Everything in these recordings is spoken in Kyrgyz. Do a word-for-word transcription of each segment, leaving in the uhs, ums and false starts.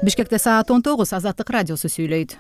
Бишкекте саат он тогуз. Азаттык радиосу сүйлөйт.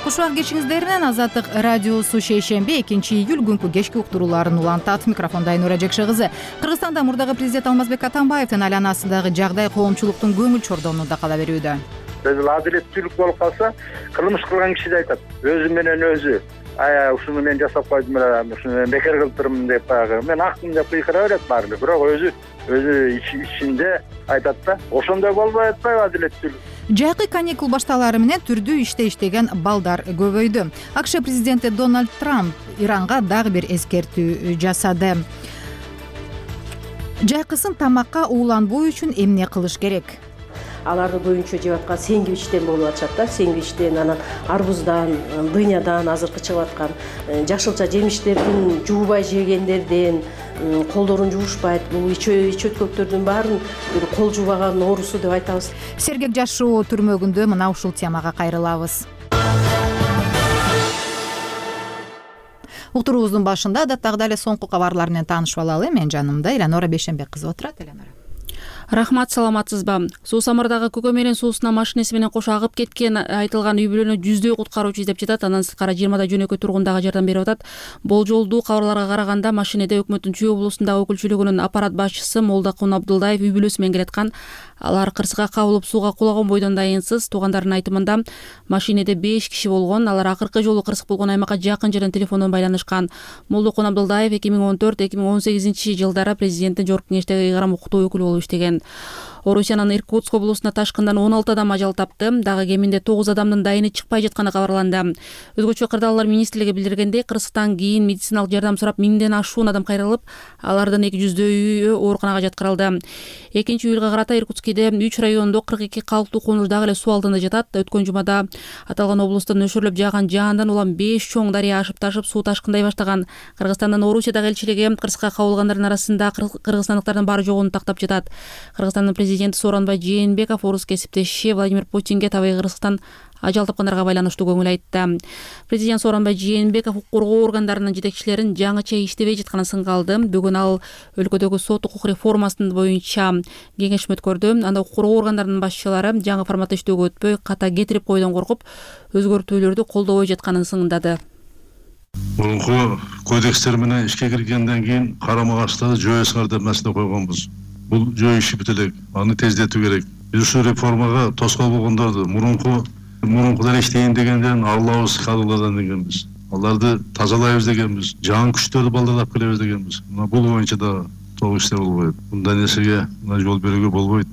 Кушубак кечиңиздеринен Азаттык радиосу шейшемби экинчи июль күнкү кечки уктурууларын улантат. Микрофонда Айнура Жекшегызы. Кыргызстанда мурдагы президент Алмазбек Атамбаевдин айланасындагы жагдай коомчулуктун көңүл чордонунда кала берүүдө. Адилеттүүлүк болуп калса, кылмыш кылган киши да айтат. Өзү менен өзү ая ушуну мен жасап койдум эле, ушуну мен бекер кылдырмын деп баягы мен акмын деп кыйкыра берет баары. Бирок өзү өзү ичинде айтат да, ошондой болбой атпайбы адилеттүүлүк. Жайкы каникул башталары менен түрдүү иште иштеген балдар көбөйдү. АКШ президенти Дональд Трамп Иранга дагы бир эскертүү жасады. Жайкысын тамакка ууланбоо үчүн эмне кылыш керек? Аларды көбүнчө жеп аткан сэндвичтен болуп атышат да. Сэндвичтен, анан арбуздан, дынядан азыркы чыгып аткан жашылча жемиштердин жуубай жегендерден, колдорун жуушпайт. Бул ичөткөктөрдүн баарын бир кол жуубаган оорусу деп айтабыз. Сергек жашоо түрмөгүндө мына ушул темага кайрылабыз. Уктуруубуздун башында адаттагыдай эле соңку кабарлар менен таанышып алалы. Мен жанымда Эланора Бейшенбек кызы отурат. Эланора. Рахмат, саламатсызбы? Суу самырдагы көкө менен суусуна машинеси менен кошо агып кеткен айтылган үй бүлөнү жүздөй куткаруучу издеп жатат. Андан сырткары жыйырмадай жөнөкөй тургун дагы жардам берип атат. Болжолдуу кабарларга караганда машинеде өкмөттүн Чүй облусундагы өкүлчүлүгүнүн аппарат башчысы Молдокун Абдулдаев үй бүлөсү менен келаткан. Алар кырсыга кабылып сууга кулаган бойдон дайынсыз. Туугандарынын айтымында машинеде беш киши болгон. Алар акыркы жолу кырсык болгон аймакка жакын жерден телефондон байланышкан. Молдокун Абдулдаев эки миң он төрт эки миң он сегизинчи жылдары президенттин жогорку кеңештеги ыйгарым укуктуу өкүлү болуп иштеген. Орусиянын Иркутск облусуна ташкындан он алты адам ажал тапты. Дагы кеминде тогуз адамдын дайыны чыкпай жатканы кабарланды. Өзгөчө кырдаалдар министрлиги билдиргендей, кырсыктан кийин медициналык жардам сурап миңден ашуун адам кайрылып, алардын эки жүздөйү ооруканага жаткырылды. экинчи июлга карата Иркутскиде үч райондо кырк эки калктуу конуш дагы эле суу алдында жатат. Өткөн жумада аталган облустун нөшөрлөп жааган жаандан улам беш чоң дарыя ашып ташып суу ташкындай баштаган. Кыргызстандын Орусиядагы элчилиги кырсыкка кабылгандардын арасында кыргызстандыктардын баары жогонун тактап жатат. Кыргызстандын президенти Сооронбай Жээнбеков орус кесиптеши Владимир Путинге табигый кырсыктан ажал тапкандарга байланыштуу көңүл айтты. Президент Сооронбай Жээнбеков укук коргоо органдарынын жетекчилерин жаңыча иштебей жатканын сынга алды. Бүгүн ал өлкөдөгү сот укук реформасынын боюнча кеңешме өткөрдү. Анда укук коргоо органдарынын башчылары жаңы форматта иштөөгө өтпөй, ката кетирип койдон коркуп, өзгөртүүлөрдү колдобой жатканын сыңдады. Мурунку кодекстер менен ишке киргенден кийин карама каршыларды жоюңар деп маселе койгонбуз. Бул жөө иши бүт элек, аны тездетүү керек. Биз ушул реформага тоскоол болгондорду мурунку мурункудан иштейин дегендерин алабыз кадрлардан дегенбиз. Аларды тазалайбыз дегенбиз. Жаңы күчтөрдү балдарлап келебиз дегенбиз. Мына бул боюнча да толук иштер болбойт. Мындай нерсеге жол берүүгө болбойт.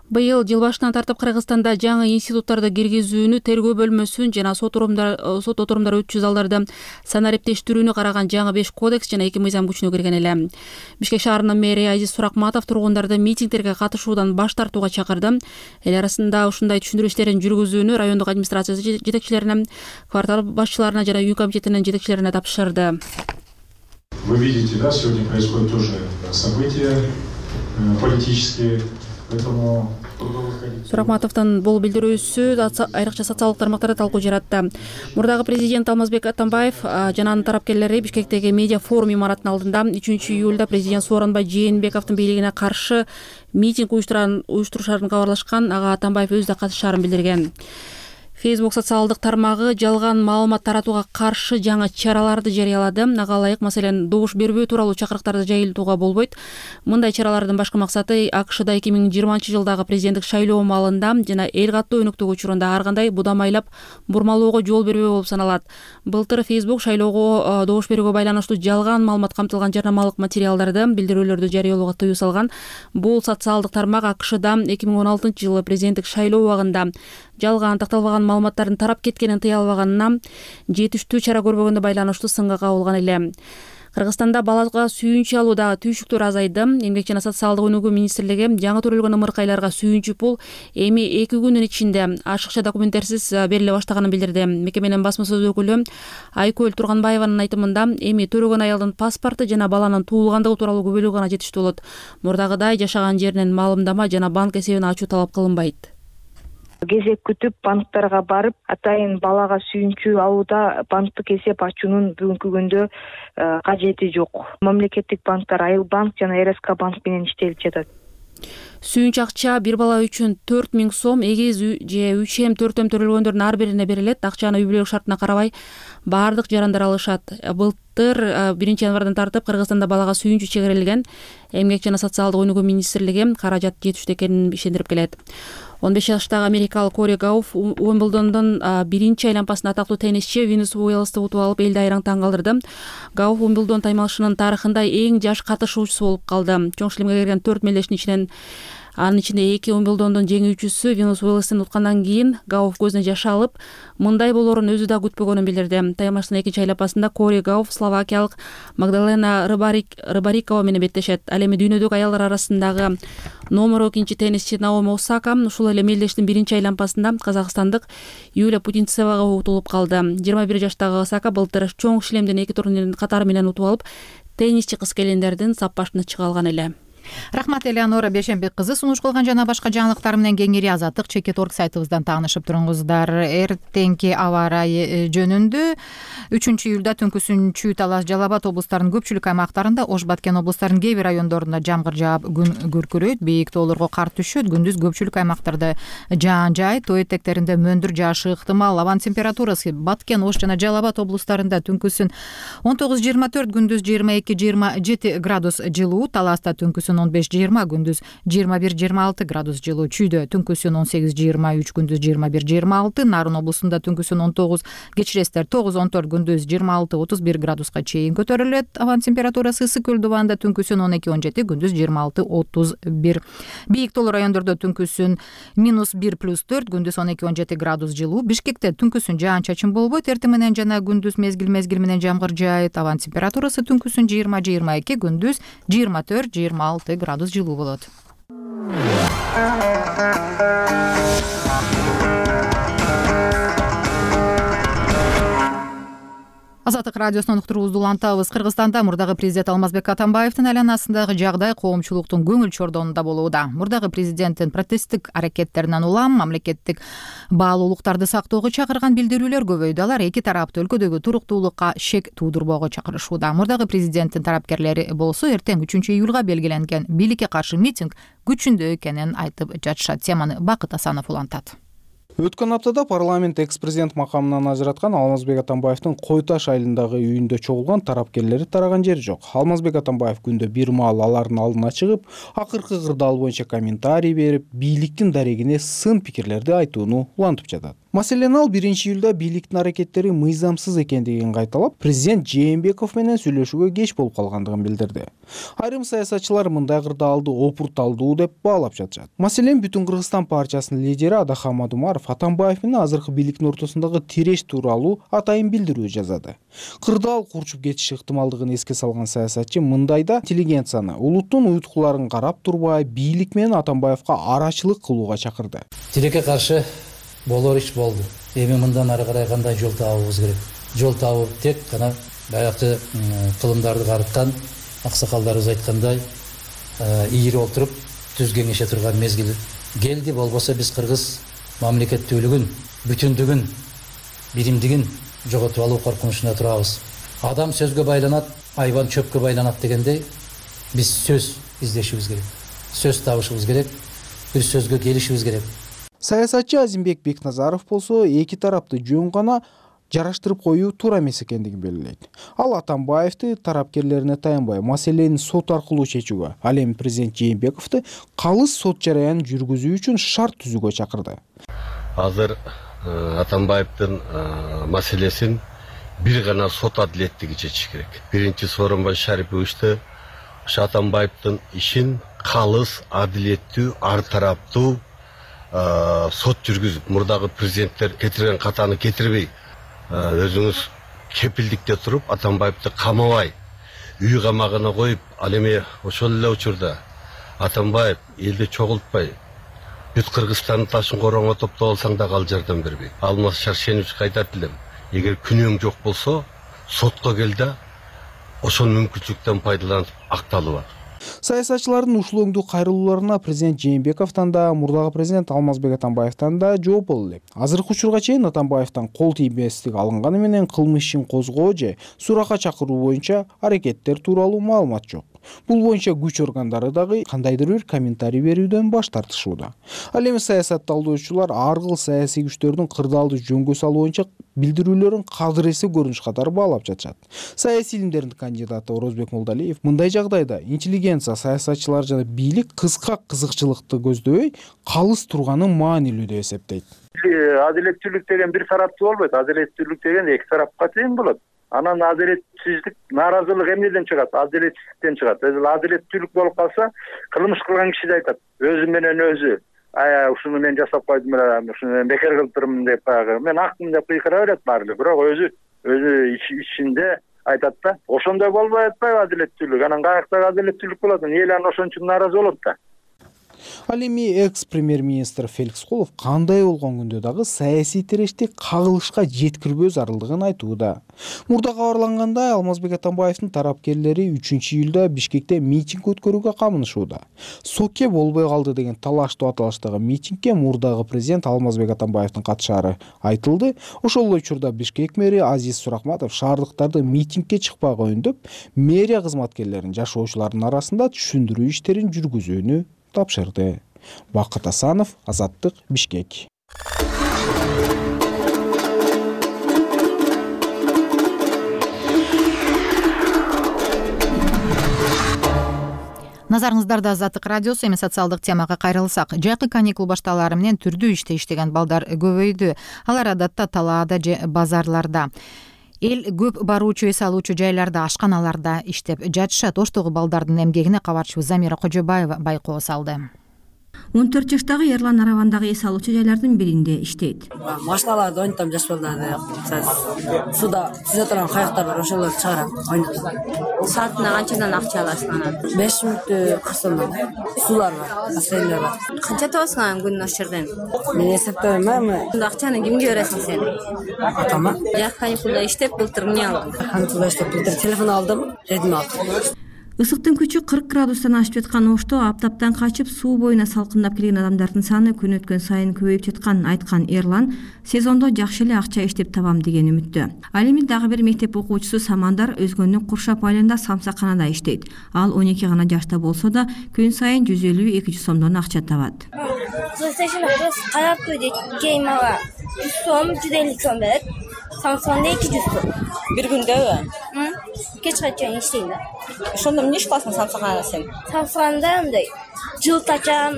Быйыл жыл башынан тартып Кыргызстанда жаңы институттарды киргизүүнү, тергөө бөлмөсүн жана сот сот отурумдар өтчү залдарды санариптештирүүнү караган жаңы беш кодекс жана эки мыйзам күчүнө кирген эле. Бишкек шаарынын мэри Азиз Суракматов тургундарды митингдерге катышуудан баш тартууга чакырды. Эл арасында ушундай түшүндүрүү иштерин жүргүзүүнү райондук администрация жетекчилерине, квартал башчыларына жана үй комитетинин жетекчилерине тапшырды. Вы видите, да, сегодня происходят тоже события политические. Суракматовдун бул билдирүүсү айрыкча социалдык тармактарда талкуу жаратты. Мурдагы президент Алмазбек Атамбаев жана анын тарапкерлери Бишкектеги медиа форум имаратынын алдында үчүнчү июлда президент Сооронбай Жээнбековдун бийлигине каршы митинг уюштурушарын кабарлашкан. Ага Атамбаев өзү да катышаарын билдирген. Facebook социалдык тармагы жалган маалымат таратууга каршы жаңы чараларды жарыялады. Ага ылайык, маселен, добуш бербөө тууралуу чакырыктарды жайылтууга болбойт. Мындай чаралардын башкы максаты АКШда эки миң жыйырманчы жылдагы президенттик шайлоо маалында жана эл каттуу өнүктүк учурунда ар кандай будамайлап бурмалоого жол бербөө болуп саналат. Былтыр Facebook шайлоого добуш берүүгө байланыштуу жалган маалымат камтылган жарнамалык материалдарды, билдирүүлөрдү жарыялоого тыюу салган. Бул социалдык тармак АКШда эки миң он алтынчы жылы президенттик шайлоо убагында жалган такталбаган маалыматтардын тарап кеткенин тыя албаганына жетиштүү чара көрбөгөнгө байланыштуу сынга кабылган эле. Кыргызстанда балага сүйүнчү алуудагы түйшүктөр азайды. Эмгек жана социалдык өнүгүү министрлиги жаңы төрөлгөн ымыркайларга сүйүнчү пул эми эки күнүн ичинде ашыкча документтерсиз бериле баштаганын билдирди. Мекеменин басма сөз өкүлү Айкөл Турганбаеванын айтымында эми төрөгөн аялдын паспорту жана баланын туулгандыгы тууралуу күбөлүк гана жетиштүү болот. Мурдагыдай жашаган жеринен маалымдама жана банк эсебин ачуу талап кылынбайт. кезек күтүп банктарга барып атайын балага сүйүнчү алууда банктык эсеп ачуунун бүгүнкү күндө кажети жок. Мамлекеттик банктар Айыл банк жана эр эс ка банк менен иштелип жатат. Сүйүнч акча бир бала үчүн төрт миң сом, эгиз же үч эм төртөм төрөлгөндөрдүн ар бирине берилет. Акчаны үй бүлөлүк шартына карабай баардык жарандар алышат. Былтыр биринчи январдан тартып Кыргызстанда балага сүйүнчү чегерилген. Эмгек жана социалдык өнүгүү министрлиги каражат жетиштүү экенин ишендирип келет. он беш жаштагы америкалык Кори Гауфф Уимблдондун биринчи айланпасында атактуу теннисчи Венус Уилдсти утуп алып элди айраң таң калтырды. Гауфф Уимблдон таймалышынын тарыхында эң жаш катышуучусу болуп калды. Чоң шлемге кирген төрт мелдештин ичинен анын ичинде эки Уимблдондун жеңүүчүсү Венус Уилдстин уткандан кийин Гауфф көзүнө жаш алып, мындай болоорун өзү да күтпөгөнүн билдирди. Таймалыштын экинчи айланпасында Кори Гауфф словакиялык Магдалена Рыбарикова менен беттешет. Ал эми дүйнөдөгү аялдар арасындагы номер экинчи теннисчи Наоми Осака ушул эле мелдештин биринчи айланпасында казакстандык Юлия Путинцевага утулуп калды. жыйырма бир жаштагы Осака былтыр чоң шлемдин эки турнирин катары менен утуп алып, теннисчи кыз келиндердин саппашына чыга алган эле. Рахмат Элеонора Бешенбек кызы. Сунуш кылган жана башка жаңылыктар менен кеңири Азаттык чекит орг сайтыбыздан таанышып туруңуздар. Эртеңки аба ырайы жөнүндө үчүнчү июлда түнкүсүн Талас, Жалал Абад облустарынын көпчүлүк аймактарында, Ош, Баткен облустарынын кээ бир райондорунда жамгыр жаап, күн күркүрөйт, бийик тоолорго кар түшөт. Күндүз көпчүлүк аймактарда жаан жаайт, тоо этектеринде мөндүр жаашы ыктымал. Абанын температурасы Баткен, Ош жана Жалал Абад облустарында түнкүсүн он тогуз жыйырма төрт, күндүз жыйырма эки жыйырма жети градус жылуу, Таласта түнкүсүн он беш жыйырма, күндүз жыйырма бир жыйырма алты градус жылуу, Чүйдө түнкүсүн он сегиз жыйырма үч, күндүз жыйырма бир жыйырма алты, Нарын облусунда түнкүсүн он тогуз, кечиресиздер тогуз он төрт, күндүз жыйырма алты отуз бир градуска чейин көтөрүлөт. Абанын температурасы Ысык көл дубанда түнкүсүн он эки он жети, күндүз жыйырма алты отуз бир. Бийик тоолуу райондордо түнкүсүн минус бир плюс төрт, күндүз он эки он жети градус жылуу. Бишкекте түнкүсүн жаан чачын болбойт, эртең менен жана күндүз мезгил мезгил менен жамгыр жаайт. Абанын температурасы түнкүсүн жыйырма жыйырма эки, күндүз жыйырма төрт жыйырма алты градус жылуу болот. Азаттык радиосунун уктуруубузду улантабыз. Кыргызстанда мурдагы президент Алмазбек Атамбаевдин айланасындагы жагдай коомчулуктун көңүл чордонунда болууда. Мурдагы президенттин протесттик аракеттеринен улам мамлекеттик баалуулуктарды сактоого чакырган билдирүүлөр көбөйдү. Алар эки тарапты өлкөдөгү туруктуулукка шек туудурбоого чакырышууда. Мурдагы президенттин тарапкерлери болсо эртең үчүнчү июлга белгиленген бийликке каршы митинг күчүндө экенин айтып жатышат. Теманы Бакыт Асанов улантат. Өткөн аптада парламент экс-президент макамынан ажыраткан Алмазбек Атамбаевдин Кой Таш айылындагы үйүндө чогулган тарапкерлери тараган жери жок. Алмазбек Атамбаев күндө бир маал алардын алдына чыгып, акыркы кырдаал боюнча комментарий берип, бийликтин дарегине сын пикирлерди айтууну улантып жатат. Маселен, ал биринчи июлда бийликтин аракеттери мыйзамсыз экендигин кайталап, президент Жээнбеков менен сүйлөшүүгө кеч болуп калгандыгын билдирди. Айрым саясатчылар мындай кырдаалды опурталдуу деп баалап жатышат. Маселен, Бүтүн Кыргызстан партиясынын лидери Адахан Мадумаров Атамбаев менен азыркы бийликтин ортосундагы тиреш тууралуу атайын билдирүү жазады. Кырдаал курчуп кетиши ыктымалдыгын эске салган саясатчы мындайда интеллигенцияны, улуттун уйткуларын карап турбай, бийлик менен Атамбаевка арачылык кылууга чакырды. Тилекке каршы болор иш болду. Эми мындан ары карай кандай жол табабыз керек? Жол табып тек гана баягы кылымдарды карыткан аксакалдарыбыз айткандай ийири отуруп түз кеңеше турган мезгил келди. Болбосо биз кыргыз мамлекеттүүлүгүн, бүтүндүгүн, биримдигин жоготуп алуу коркунучунда турабыз. Адам сөзгө байланат, айбан чөпкө байланат дегендей, биз сөз издешибиз керек. Сөз табышыбыз керек, бир сөзгө келишибиз керек. Саясатчы Азимбек Бекназаров болсо эки тарапты жөн гана жараштырып коюу туура эмес экендигин белгилейт. Ал Атамбаевди тарапкерлерине таянбай маселени сот аркылуу чечүүгө, ал эми президент Жээнбековду калыс сот жараянын жүргүзүү үчүн шарт түзүүгө чакырды. Азыр Атамбаевдин маселесин бир гана сот адилеттиги чечиш керек. Биринчи Сооронбай Шариповичти ошо Атамбаевдин ишин калыс, адилеттүү, ар тараптуу сот жүргүзүп, мурдагы президенттер кетирген катаны кетирбей, өзүңүз кепилдикте туруп, Атамбаевди камабай, үй камагына коюп, ал эми ошол эле учурда Атамбаев элди чогултпай, бүт Кыргызстандын ташын короңо топтоп алсаң да ал жардам бербейт. Алмаз Шаршеновичке айтат элем, эгер күнөөң жок болсо, сотко кел да ошол мүмкүнчүлүктөн пайдаланып акталып ал. Саясатчылардын ушул өңдүү кайрылууларына президент Жээнбековдон да, мурдагы президент Алмазбек Атамбаевден да жооп боло элек. Азыркы учурга чейин Атамбаевден кол тийбестик алынганы менен кылмыш ишин козгоо же суракка чакыруу боюнча аракеттер тууралуу маалымат жок. Бул боюнча күч органдары дагы кандайдыр бир комментарий берүүдөн баш тартышууда. Ал эми саясатталдоочулар ар кыл саясий күчтөрдүн кырдаалды жөнгө салуу боюнча билдирүүлөрүн кадыресе көрүнүш катары баалап жатышат. Саясий илимдердин кандидаты Орозбек Молдалиев мындай жагдайда интеллигенция, саясатчылар жана бийлик кыска кызыкчылыкты көздөбөй калыс турганы маанилүү деп эсептейт. Адилеттүүлүк деген бир тараптуу болбойт. Адилеттүүлүк деген эки тарапка тең болот. Анан адилетсиздик, нааразылык эмнеден чыгат? Адилетсиздиктен чыгат. Адилеттүүлүк болуп калса, кылмыш кылган киши да айтат. Өзү менен өзү, ая ушуну мен жасап койдум эле, ушуну мен бекер кылдырдым деп баягы. Мен акмын деп кыйкыра берет баары. Бирок өзү өзү ичинде айтат да. Ошондой болбой атпайбы адилеттүүлүк? Анан каяктагы адилеттүүлүк болот? Эл анан ошон үчүн нааразы болот да. Ал эми экс-премьер-министр Феликс Колов кандай болгон күндө дагы саясий тирешти кагылышка жеткирбөө зарылдыгын айтууда. Мурда кабарлангандай, Алмазбек Атамбаевдин тарапкерлери үчүнчү июлда Бишкекте митинг өткөрүүгө камынышууда. Соке болбой калды деген талаштуу аталыштагы митингге мурдагы президент Алмазбек Атамбаевдин катышаары айтылды. Ошол эле учурда Бишкек мэри Азиз Суракматов шаардыктарды митингге чыкпаага үндөп, мэрия кызматкерлерин жашоочулардын арасында түшүндүрүү иштерин жүргүзүүнү тапшырды. Бакыт Асанов, Азаттык, Бишкек. Назарыңыздарда Азаттык радиосу. Эми социалдык темага кайрылсак, жайкы каникул башталары менен түрдүү иште иштеген балдар көбөйдү. Алар адатта талаада же базарларда, эл көп баруучу эс алуучу жайларда, ашканаларда иштеп жатышат. Оштогу балдардын эмгегине кабарчыбыз Замира Кожобаева байкоо салды. он төрт жаштагы Ерлан Аравандагы эс алуучу жайлардын биринде иштейт. Машиналарды ойнотом, жаш балдарды. Суда сүзө турган каяктар бар, ошолорду чыгарам, ойнотом. Саатына канчадан акча аласың анан? беш мүнөттө кырк сомдон. Сулар бар, бассейндер бар. Канча табасың анан күнүнө ошол жерден? Мен эсептейм, эми. Анда акчаны кимге бересиң сен? Атама. Жак каникулда иштеп, былтыр эмне алдың? Каникулда иштеп, былтыр телефон алдым, Redmi алдым. Ысыктын күчү кырк градустан ашып жаткан Ошто аптаптан качып суу боюна салкындап келген адамдардын саны күн өткөн сайын көбөйүп жатканын айткан Эрлан сезондо жакшы эле акча иштеп табам деген үмүттө. Ал эми дагы бир мектеп окуучусу Самандар Өзгөндүн Куршап айылында самсаканада иштейт. Ал он эки гана жашта болсо да күн сайын жүз элүү эки жүз сомдон акча табат. Карап койду, кей мага жүз сом, жүз элүү сом берет. Самсонда эки жүз сом. Бир күндөбү? Кечке чейин иштейм да. Ошондо эмне иш кыласың самсаканада сен? Самсаканада андай жылт ачам,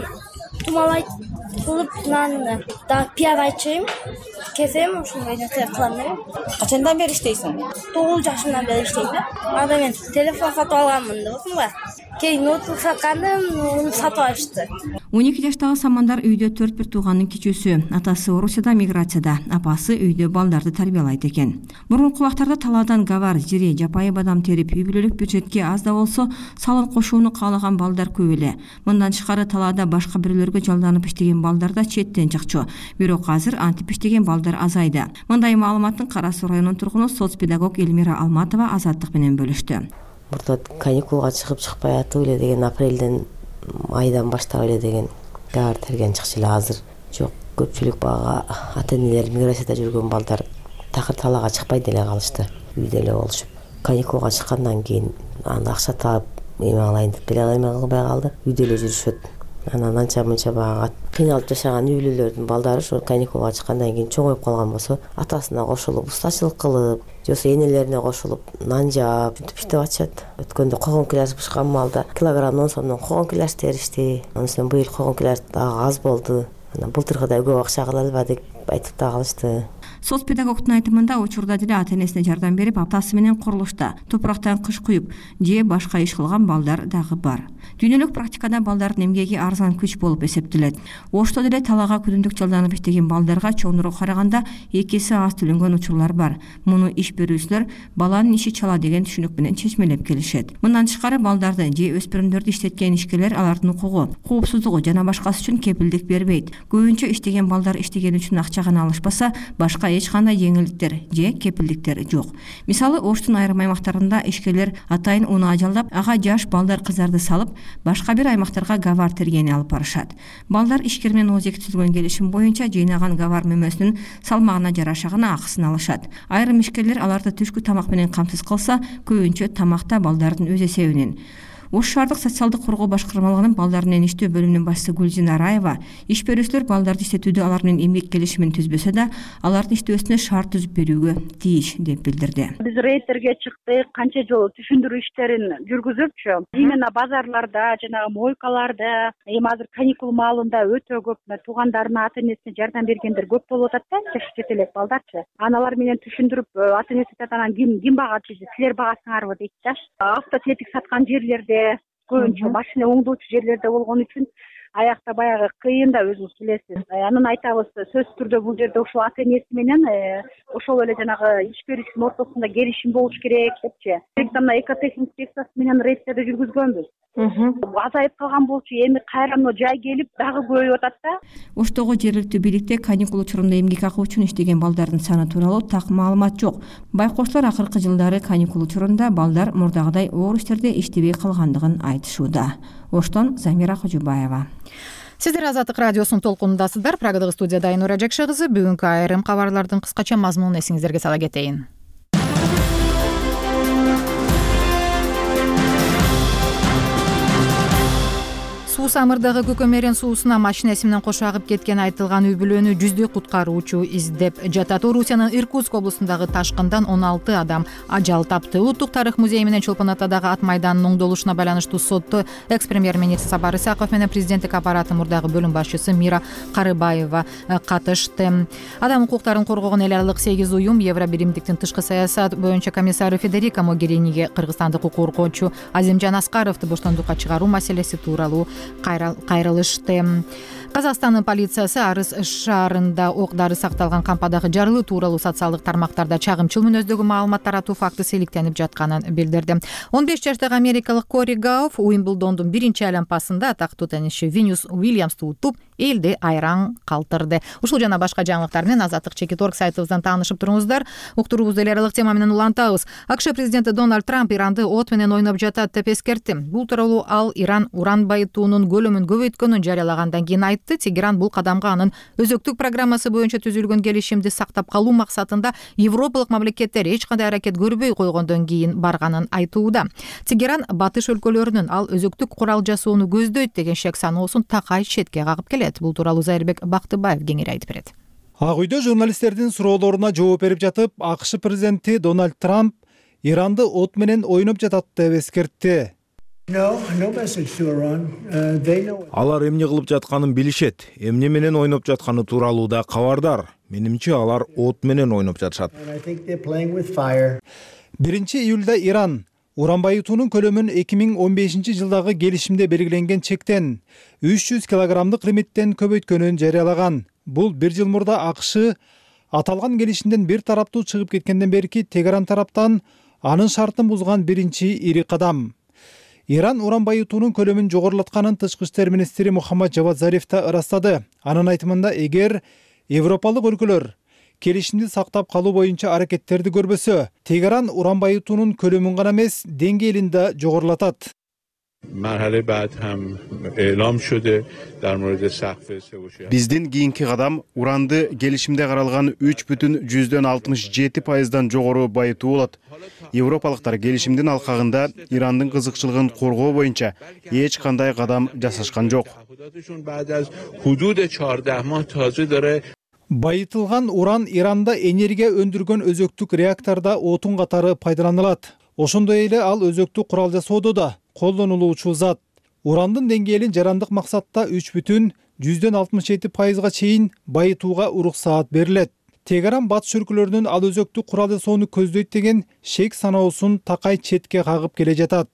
тумалайт кылып, наны да пияз ачайм, кезем, ошондой нерсе кылам да. Качандан бери иштейсиң? тогуз жашымдан бери иштейм да. Анда мен телефон сатып алганмын да, болсуңбу? Кийин ноутбук саткандым, уну сатып алышты. он эки жаштагы Самандар үйдө төрт бир тууганын кичүүсү. Атасы Орусияда миграцияда, апасы үйдө балдарды тарбиялайт экен. Мурунку убактарда талаадан гавар, жире, жапайы бадам терип, үй бүлөлүк бюджетке аз да болсо салым кошууну каалаган балдар көп эле. Мындан тышкары талаада башка бирөөлөргө жалданып иштеген балдар да четтен чыкчу. Бирок азыр антип иштеген балдар азайды. Мындай маалыматтын Кара Суу районунун тургуну соцпедагог Элмира Алматова Азаттык менен бөлүштү. Мурда каникулга чыгып чыкпай атып эле деген апрелден айдан баштап эле деген гавар терген чыкчу эле. Азыр жок, көпчүлүк бага ата-энелер миграцияда жүргөн балдар такыр талаага чыкпай деле калышты. Үйдө эле болушуп. Каникулга чыккандан кийин анда акча таап эме алайын деп деле эме кылбай калды. Үйдө эле жүрүшөт. Анан анча мынча бага кыйналып жашаган үй бүлөлөрдүн балдары ошо каникулга чыккандан кийин чоңоюп калган болсо, атасына кошулуп, устачылык кылып, же болбосо энелерине кошулуп нан жаап, бүтүп иштеп атышат. Өткөндө когон килаж бышкан малда килограмм он сомдон когон килаж теришти. Анан быйыл когон килаж дагы аз болду. Анан былтыркыдай көп акча кыла албадык айтып да калышты. Соцпедагогдун айтымында учурда деле ата-энесине жардам берип, аптасы менен курулушта топурактан кыш куюп же башка иш кылган балдар дагы бар. Дүйнөлүк практикада балдардын эмгеги арзан күч болуп эсептелет. Ошто деле талаага күнүмдүк жалданып иштеген балдарга чоңдурга караганда эки эсе аз төлөнгөн учурлар бар. Муну иш берүүчүлөр баланын иши чала деген түшүнүк менен чечмелеп келишет. Мындан тышкары балдарды же өспүрүмдөрдү иштеткен ишкерлер алардын укугу, коопсуздугу жана башкасы үчүн кепилдик бербейт. Көбүнчө иштеген балдар иштеген үчүн акча гана алышпаса, башка эч кандай жеңилдиктер же кепилдиктер жок. Мисалы, Оштун айрым аймактарында ишкерлер атайын унаа жалдап, ага жаш балдар кыздарды салып, башка бир аймактарга гавар тергени алып барышат. Балдар ишкер менен ооз эки түзүлгөн келишим боюнча жыйнаган гавар мөмөсүнүн салмагына жараша гана акысын алышат. Айрым ишкерлер аларды түшкү тамак менен камсыз кылса, көбүнчө тамакта балдардын өз эсебинен. Ош шаардык социалдык коргоо башкармалыгынын балдар менен иштөө бөлүмүнүн башчысы Гүлжина Раева иш берүүчүлөр балдарды иштетүүдө алар менен эмгек келишимин түзбөсө да, алардын иштөөсүнө шарт түзүп берүүгө тийиш деп билдирди. Биз рейдтерге чыктык, канча жолу түшүндүрүү иштерин жүргүзүпчү. Именно базарларда, жанагы мойкаларда, эми азыр каникул маалында өтө көп туугандарына, ата-энесине жардам бергендер көп болуп атат да, жаш чет элек балдарчы. Аналар менен түшүндүрүп, ата-энеси анан ким ким багат дейт, силер багасыңарбы дейт да. Автотетик саткан жерлерде көбүнчө машина оңдоочу жерлерде болгон үчүн аякта баягы кыйын да, өзүңүз билесиз. Анан айтабыз, сөзсүз түрдө бул жерде ошол ата-энеси менен ошол эле жанагы иш берүүчүнүн ортосунда келишим болуш керек депчи. Мына экотехник инспекциясы менен рейдтерди жүргүзгөнбүз. Азайып калган болчу, эми кайра мына жай келип дагы көбөйүп атат да. Оштогу жергиликтүү бийликте каникул учурунда эмгек акы үчүн иштеген балдардын саны тууралуу так маалымат жок. Байкоштор акыркы жылдары каникул учурунда балдар мурдагыдай оор иштерде иштебей калгандыгын айтышууда. Оштон Замира Кожубаева. Сиздер Азаттык радиосунун толкунундасыздар. Прагадагы студияда Айнура Жакшы кызы. Бүгүнкү айрым кабарлардын кыскача мазмунун эсиңиздерге сала кетейин. Суу Самырдагы Көкөмерен суусуна машинеси менен кошо агып кеткен айтылган үй бүлөнү жүздөй куткаруучу издеп жатат. Орусиянын Иркутск облусундагы ташкындан он алты адам ажал тапты. Улуттук тарых музейи менен Чолпон Атадагы ат майданынын оңдолушуна байланыштуу сотто экс-премьер-министр Сапар Исаков менен президенттик аппараты мурдагы бөлүм башчысы Мира Карыбаева катышты. Адам укуктарын коргогон эл аралык сегиз уюм Евробиримдиктин тышкы саясат боюнча комиссары Федерика Могериниге кыргызстандык укук коргоочу Азимжан Аскаровду боштондукка чыгаруу маселеси тууралуу кайрылышты. Казакстандын полициясы Арыс шаарында ок-дары сакталган кампадагы жарылуу тууралуу социалдык тармактарда чагымчыл мүнөздөгү маалымат таратуу фактысы иликтенип жатканын билдирди. он беш жаштагы америкалык Кори Гауф Уимблдондун биринчи айлампасында атактуу теннисчи Винус Уильямсту утуп, элди айраң калтырды. Ушул жана башка жаңылыктар менен азаттык чекит точка орг сайтыбыздан таанышып туруңуздар. Уктуруубузду эл аралык тема менен улантабыз. АКШ президенти Дональд Трамп Иранды от менен ойноп жатат деп эскертти. Бул тууралуу ал Иран уран байытуунун көлөмүн көбөйткөнүн жарыялагандан кийин айтты. Тегеран бул кадамга анын өзөктүк программасы боюнча түзүлгөн келишимди сактап калуу максатында европалык мамлекеттер эч кандай аракет көрбөй койгондон кийин барганын айтууда. Тегеран батыш өлкөлөрүнүн ал өзөктүк курал жасоону көздөйт деген шек саноосун такай четке кагып келет. Бул тууралуу Зайырбек Бактыбаев кеңири айтып берет. Ак үйдө журналисттердин суроолоруна жооп берип жатып, АКШ президенти Дональд Трамп Иранды от менен ойноп жатат деп эскертти. Алар эмне кылып жатканын билишет, эмне менен ойноп жатканы тууралуу да кабардар. Менимче алар от менен ойноп жатышат. биринчи июлда Иран уран байытуунун көлөмүн эки миң он бешинчи жылдагы келишимде белгиленген чектен үч жүз килограммдык лимиттен көбөйткөнүн жарыялаган. Бул бир жыл мурда АКШ аталган келишимден бир тараптуу чыгып кеткенден берки Тегеран тараптан анын шартын бузган биринчи ири кадам. Иран уран байытуунун көлөмүн жогорулатканын тышкы иштер министри Мухаммад Жавад Зариф да ырастады. Анын айтымында, эгер европалык өлкөлөр келишимди сактап калуу боюнча аракеттерди көрбөсө, Тегеран уран байытуунун көлөмүн гана эмес, деңгээлин да жогорулатат. Биздин кийинки кадам уранды келишимде каралган үч бүтүн жүздөн алтымыш жети пайыздан жогору байытуу болот. Европалыктар келишимдин алкагында Ирандын кызыкчылыгын коргоо боюнча эч кандай кадам жасашкан жок. Байытылган уран Иранда энергия өндүргөн өзөктүк реактордо отун катары пайдаланылат. Ошондой эле ал өзөктүк курал жасоодо да колдонулуучу зат. Урандын деңгээлин жарандык максатта үч бүтүн жүздөн алтымыш жети пайызга чейин байытууга уруксаат берилет. Тегеран батыш өлкөлөрүнүн ал өзөктүк курал жасоону көздөйт деген шек саноосун такай четке кагып келе жатат.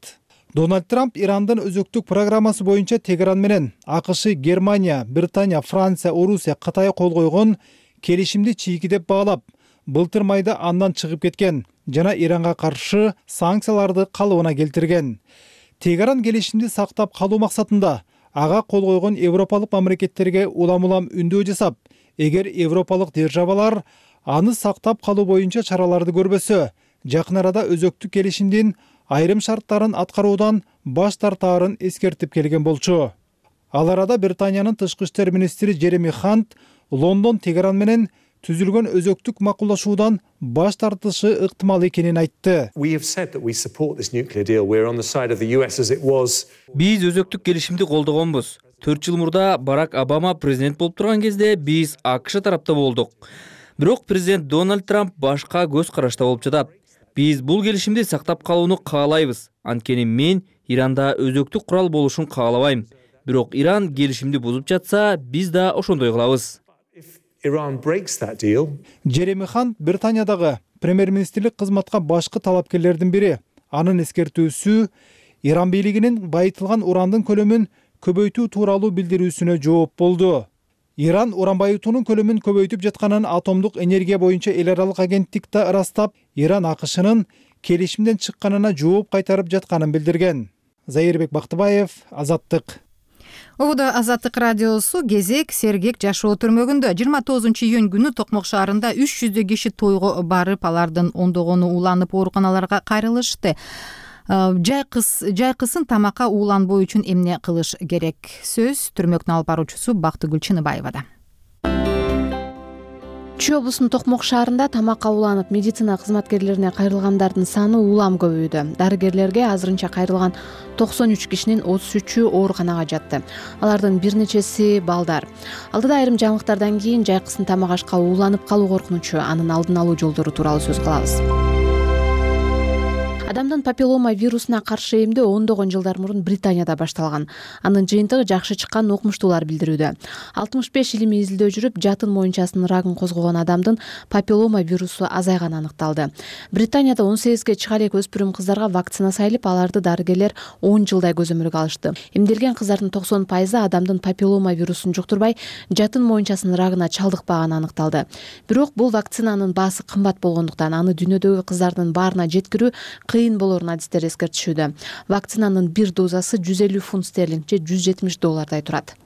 Дональд Трамп Ирандын өзөктүк программасы боюнча Тегеран менен АКШ, Германия, Британия, Франция, Орусия, Кытай кол койгон келишимди чийкидеп баалап, былтыр майда андан чыгып кеткен жана Иранга каршы санкцияларды калыбына келтирген. Тегеран келишимди сактап калуу максатында ага кол койгон европалык мамлекеттерге улам-улам үндөө жасап, эгер европалык державалар аны сактап калуу боюнча чараларды көрбөсө, жакын арада өзөктүк келишимдин айрым шарттарын аткаруудан баш тартаарын эскертип келген болчу. Ал арада Британиянын тышкы иштер министри Джереми Хант Лондон Тегеран менен түзүлгөн өзөктүк макулдашуудан баш тартышы ыктымал экенин айтты. Биз өзөктүк келишимди колдогонбуз. төрт жыл мурда Барак Обама президент болуп турган кезде биз АКШ тарапта болдук. Бирок президент Дональд Трамп башка көз карашта болуп жатат. Биз бул келишимди сактап калууну каалайбыз. Анткени мен Иранда өзөктүк курал болушун каалабайм. Бирок Иран келишимди бузуп жатса, биз да ошондой кылабыз. Джереми Хант Британиядагы премьер-министрлик кызматка башкы талапкерлердин бири. Анын эскертүүсү Иран бийлигинин байытылган урандын көлөмүн көбөйтүү тууралуу билдирүүсүнө жооп болду. Иран уран байытуунун көлөмүн көбөйтүп жатканын атомдук энергия боюнча эл аралык агенттик да ырастап, Иран АКШнын келишимден чыкканына жооп кайтарып жатканын билдирген. Зайырбек Бактыбаев, Азаттык. Ободо Азаттык радиосу кезек сергек жашоо түрмөгүндө жыйырма тогузунчу июнь күнү Токмок шаарында үч жүздөй киши тойго барып, алардын ондогону уланып ооруканаларга кайрылышты. Жайкысын тамакка ууланбоо үчүн эмне кылыш керек? Сөз түрмөктүн алып баруучусу Бактыгүл Чыныбаевада. Чүй облусунун Токмок шаарында тамакка ууланып медицина кызматкерлерине кайрылгандардын саны улам көбөйдү. Дарыгерлерге азырынча кайрылган токсон үч кишинин отуз үчү ооруканага жатты. Алардын бир нечеси балдар. Алдыда айрым жаңылыктардан кийин жайкысын тамак ашка ууланып калуу коркунучу, анын алдын алуу жолдору тууралуу сөз кылабыз. Адамдын папиллома вирусуна каршы эмдөө ондогон жылдар мурун Британияда башталган. Анын жыйынтыгы жакшы чыкканын окумуштуулар билдирүүдө. алтымыш беш илимий изилдөө жүрүп, жатын моюнчасынын рагын козгогон адамдын папиллома вирусу азайганы аныкталды. Британияда он сегизге чыга элек өспүрүм кыздарга вакцина салып, аларды дарыгерлер он жылдай көзөмөлгө алышты. Эмделген кыздардын токсон пайызы адамдын папиллома вирусун жуктурбай, жатын моюнчасынын рагына чалдыкпаганы аныкталды. Бирок бул вакцинанын баасы кымбат болгондуктан аны дүйнөдөгү кыздардын баарына жеткирүү кыйын болорун адистер эскертишүүдө. Вакцинанын бир дозасы жүз элүү фунт стерлинг же жүз жетимиш доллардай турат.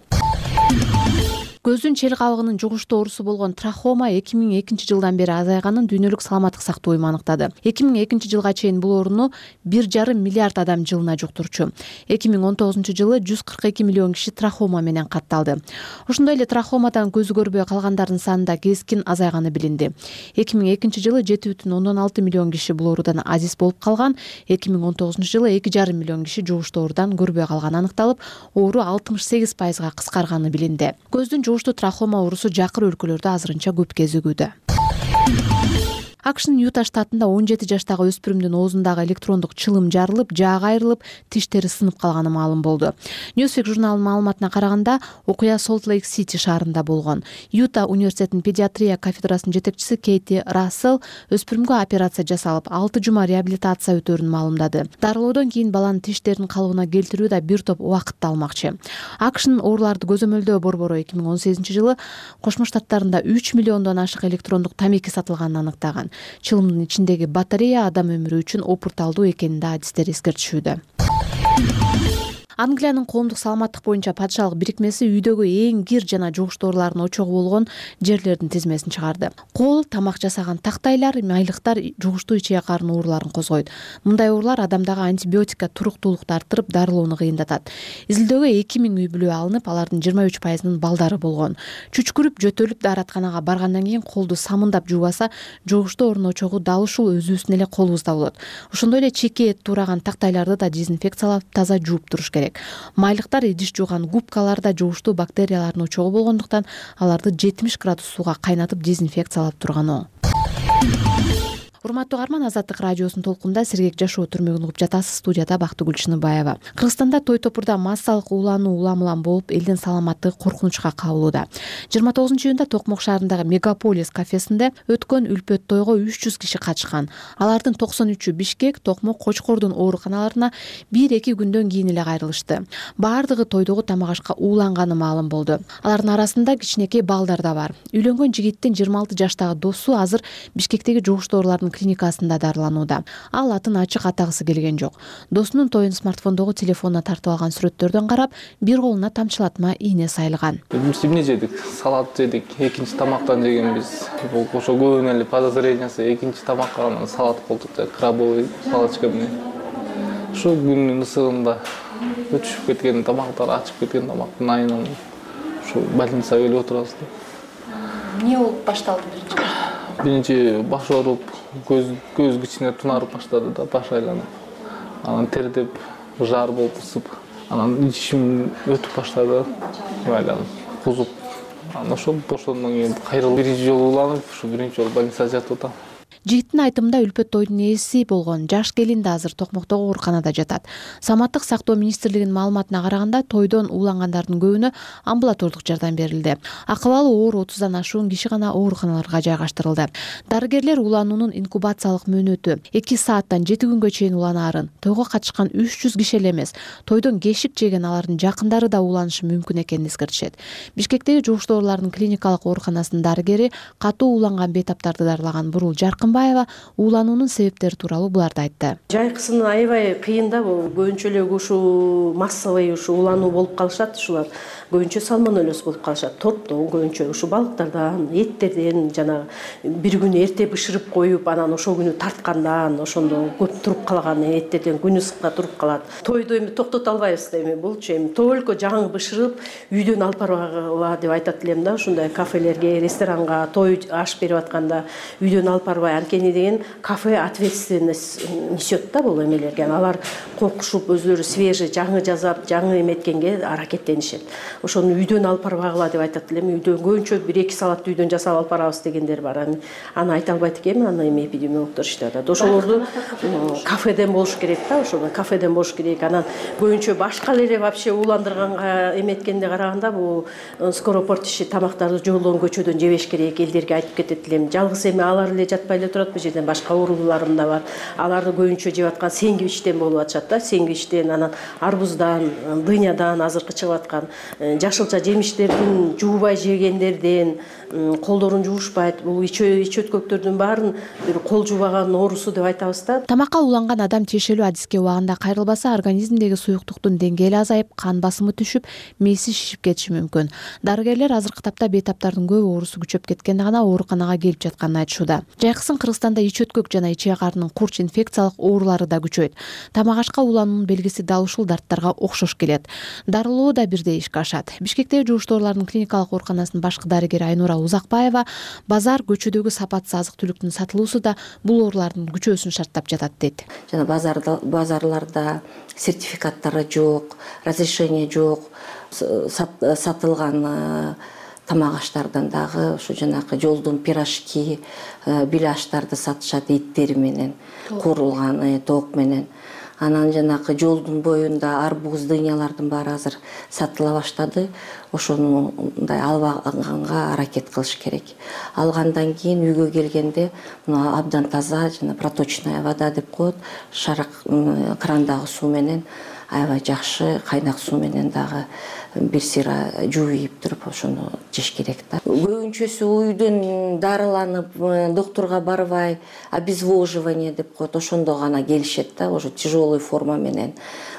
Көздүн чел кабыгынын жугуштуу оорусу болгон трахома эки миң экинчи жылдан бери азайганын Дүйнөлүк саламаттык сактоо уюму аныктады. эки миң экинчи жылга чейин бул ооруну бир жарым миллиард адам жылына жуктурчу. эки миң он тогузунчу жылы жүз кырк эки миллион киши трахома менен катталды. Ошондой эле трахомадан көзү көрбөй калгандардын санында кескин азайганы билинди. эки миң экинчи жылы жети бүтүн ондон алты миллион киши бул оорудан азиз болуп калган. эки миң он тогузунчу жылы эки жарым миллион киши жугуштуу оорудан көрбөй калганы аныкталып, оору алтымыш сегиз пайызга кыскарганы билинди. Көздүн жугуштуу трахома оорусу жакыр өлкөлөрдө азырынча көп кезигүүдө. АКШнын Юта штатында он жети жаштагы өспүрүмдүн оозундагы электрондук чылым жарылып, жаага айрылып, тиштери сынып калганы маалым болду. Newsweek журналынын маалыматына караганда, окуя Солт-Лейк-Сити шаарында болгон. Юта университетинин педиатрия кафедрасынын жетекчиси Кейти Рассел өспүрүмгө операция жасалып, алты жума реабилитация өтөөрүн маалымдады. Дарылоодон кийин баланын тиштерин калыбына келтирүү да бир топ убакытты алмакчы. АКШнын ооруларды көзөмөлдөө борбору эки миң он сегизинчи жылы Кошмо Штаттарында үч миллиондон ашык электрондук тамеки сатылганын анықтаган. Чылымдын ичиндеги батарея адам өмүрү үчүн опурталдуу экенин да адистер эскертишүүдө. Англиянын коомдук саламаттык боюнча падышалык бирикмеси үйдөгү эң кир жана жугуштуу оорулардын очогу болгон жерлердин тизмесин чыгарды. Кол, тамак жасаган тактайлар, майлыктар жугуштуу ичек карын ооруларын козгойт. Мындай оорулар адамдагы антибиотикка туруктуулукту арттырып, дарылоону кыйындатат. Изилдөөгө эки миң үй бүлө алынып, алардын жыйырма үч пайызынын балдары болгон. Чүчкүрүп, жөтөлүп, дааратканага баргандан кийин колду самындап жуубаса, жугуштуу оорунун очогу дал ушул өзүбүздүн эле колубузда болот. Ошондой эле чеке эт туураган тактайларды да дезинфекциялап, таза жууп туруш керек. Майлыктар идиш жууган губкаларда жугуштуу бактериялардын очогу болгондуктан аларды жетимиш градус сууга кайнатып дезинфекциялап турган. Урматтуу угарман, Азаттык радиосунун толкунда сергек жашоо түрмөгүн угуп жатасыз. Студияда Бактыгүл Чыныбаева. Кыргызстанда той топурда массалык уулануу улам-улам болуп, элдин саламаттыгы коркунучка кабылууда. жыйырма тогузунчу июнда Токмок шаарындагы Мегаполис кафесинде өткөн үлпөт тойго үч жүз киши катышкан. Алардын токсон үчү Бишкек, Токмок, Кочкордун ооруканаларына бир-эки күндөн кийин эле кайрылышты. Баардыгы тойдогу тамак ашка ууланганы маалым болду. Алардын арасында кичинекей балдар да бар. Үйлөнгөн жигиттин жыйырма алты жаштагы досу азыр Бишкектеги жугуштуу оорулардын клиникасында дарыланууда. Ал атын ачык атагысы келген жок. Досунун тоюн смартфондогу телефонуна тартып алган сүрөттөрдөн карап, бир колуна тамчылатма ийне сайылган. Эмне жедик? Салат жедик. Экинчи тамактан жегенбиз. Бул ошо көбүнө эле подозрениясы экинчи тамакка салат болду, крабовый палочка менен. Ошо күндүн ысыгында өтүшүп кеткен тамактар, ачып кеткен тамактын айынан ушу больницага келип отурабыз. Эмне болуп башталды биринчи? Биринчи баш ооруп, көз көз кичине тунарып баштады да, баш айланып. Анан тердеп, жар болуп ысып, анан ичим өтүп баштады, айланып, кузуп. Анан ошол ошондон кийин кайрылып биринчи жолу уланып, ушу биринчи жолу больницада жатып атам. Жигиттин айтымында үлпөт тойдун ээси болгон жаш келин да азыр Токмоктогу ооруканада жатат. Саматтык сактоо министрлигинин маалыматына караганда, тойдон уулангандардын көбүнө амбулатордук жардам берилди. Акыбалы оор отуздан ашуун киши гана ооруканаларга жайгаштырылды. Дарыгерлер улануунун инкубациялык мөөнөтү эки сааттан жети күнгө чейин уланаарын, тойго катышкан үч жүз киши эле эмес, тойдон кешик жеген алардын жакындары да ууланышы мүмкүн экенин эскертишет. Бишкектеги жугуштуу оорулардын клиникалык ооруканасынын дарыгери катуу ууланган бейтаптарды дарылаган Бурул Жаркынбаева уулануунун себептери тууралуу буларды айтты. Жайкысын аябай кыйын да, бул көбүнчө эле ушу массовый ушу улануу болуп калышат, ушулар көбүнчө сальмонеллез болуп калышат. Торттон көбүнчө ушу балыктардан, эттерден жана бир күнү эрте бышырып коюп, анан ошол күнү тарткандан, ошондо көп туруп калган эттерден күн ысыкта туруп калат. Тойду эми токтото албайбыз да, эми булчу эми только жаңы бышырып үйдөн алып баргыла деп айтат элем да, ушундай кафелерге, ресторанга той аш берип атканда үйдөн алып барбай, анткени деген кафе ответственность несет да бул эмелерге. Алар коркушуп өзлөрү свежий, жаңы жасап, жаңы эметкенге аракеттенишет. Ошону үйдөн алып барбагыла деп айтат элем. Үйдөн көбүнчө бир эки салатты үйдөн жасап алып барабыз дегендер бар. Аны айта албайт экенмин, аны эми эпидемиологдор иштеп. Ошолорду кафеден болуш керек да, ошону кафеден болуш керек. Анан көбүнчө башка эле вообще ууландырганга эметкенде караганда бул скоропортящий тамактарды жолдон көчөдөн жебеш керек, элдерге айтып кетет элем. Жалгыз эми алар эле жатпай эле турат, бул жерден башка ооруларым да бар. Аларды көбүнчө жеп аткан сэндвичтен болуп атышат да, сэндвичтен, анан арбуздан, дынядан азыркы чыгып аткан жашылча жемиштердин жуубай жегендерден, колдорун жуушпайт. Бул ич өткөктөрдүн баарын бир кол жуубаган оорусу деп айтабыз да. Тамакка уланган адам тиешелүү адиске убагында кайрылбаса, организмдеги суюктуктун деңгээли азайып, кан басымы түшүп, мээси шишип кетиши мүмкүн. Дарыгерлер азыркы тапта бейтаптардын көп оорусу күчөп кеткенде гана ооруканага келип жатканын айтышууда. Жайкысын Кыргызстанда ич өткөк жана ичек карынын курч инфекциялык оорулары да күчөйт. Тамак ашка улануунун белгиси дал ушул дарттарга окшош келет. Дарылоо да бирдей ишке ашат. Бишкектеги жугуштуу оорулардын клиникалык ооруканасынын башкы дарыгери Айнура Узакбаева базар көчөдөгү сапатсыз азык-түлүктүн сатылуусу да бул оорулардын күчөөсүн шарттап жатат дейт. Жана базарда базарларда сертификаттары жок, разрешение жок, сатылган тамак аштардан дагы ушу жанагы жолдун пирожки, беляштарды сатышат эттери менен, куурулган тоок менен. Анан жанагы жолдун боюнда арбуз, дыйнялардын баары азыр сатыла баштады. Ошону мындай албаганга аракет кылыш керек. Алгандан кийин үйгө келгенде мына абдан таза жана проточная вода деп коет, шарак крандагы суу менен аябай жакшы кайнак суу менен дагы бир сыйра жууйп туруп ошону жеш керек да. Көбүнчөсү үйдөн дарыланып, доктурга барбай, обезвоживание деп коет, ошондо гана келишет да, ошо тяжелый форма менен.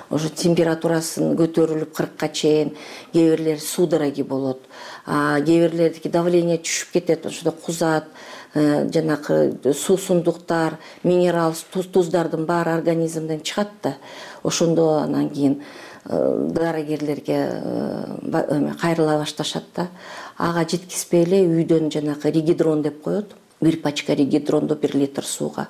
Ошо температурасын көтөрүлүп кыркка чейин, кээ бирлер судороги болот, кээ бирлердики давление түшүп кетет, ошондо кузат, жанакы суусундуктар, минерал туздардын баары организмден чыгат да. Ошондо анан кийин дарыгерлерге кайрыла башташат да. Ага жеткизбей эле үйдөн жанакы ригидрон деп коет, бир пачка ригидронду бир литр сууга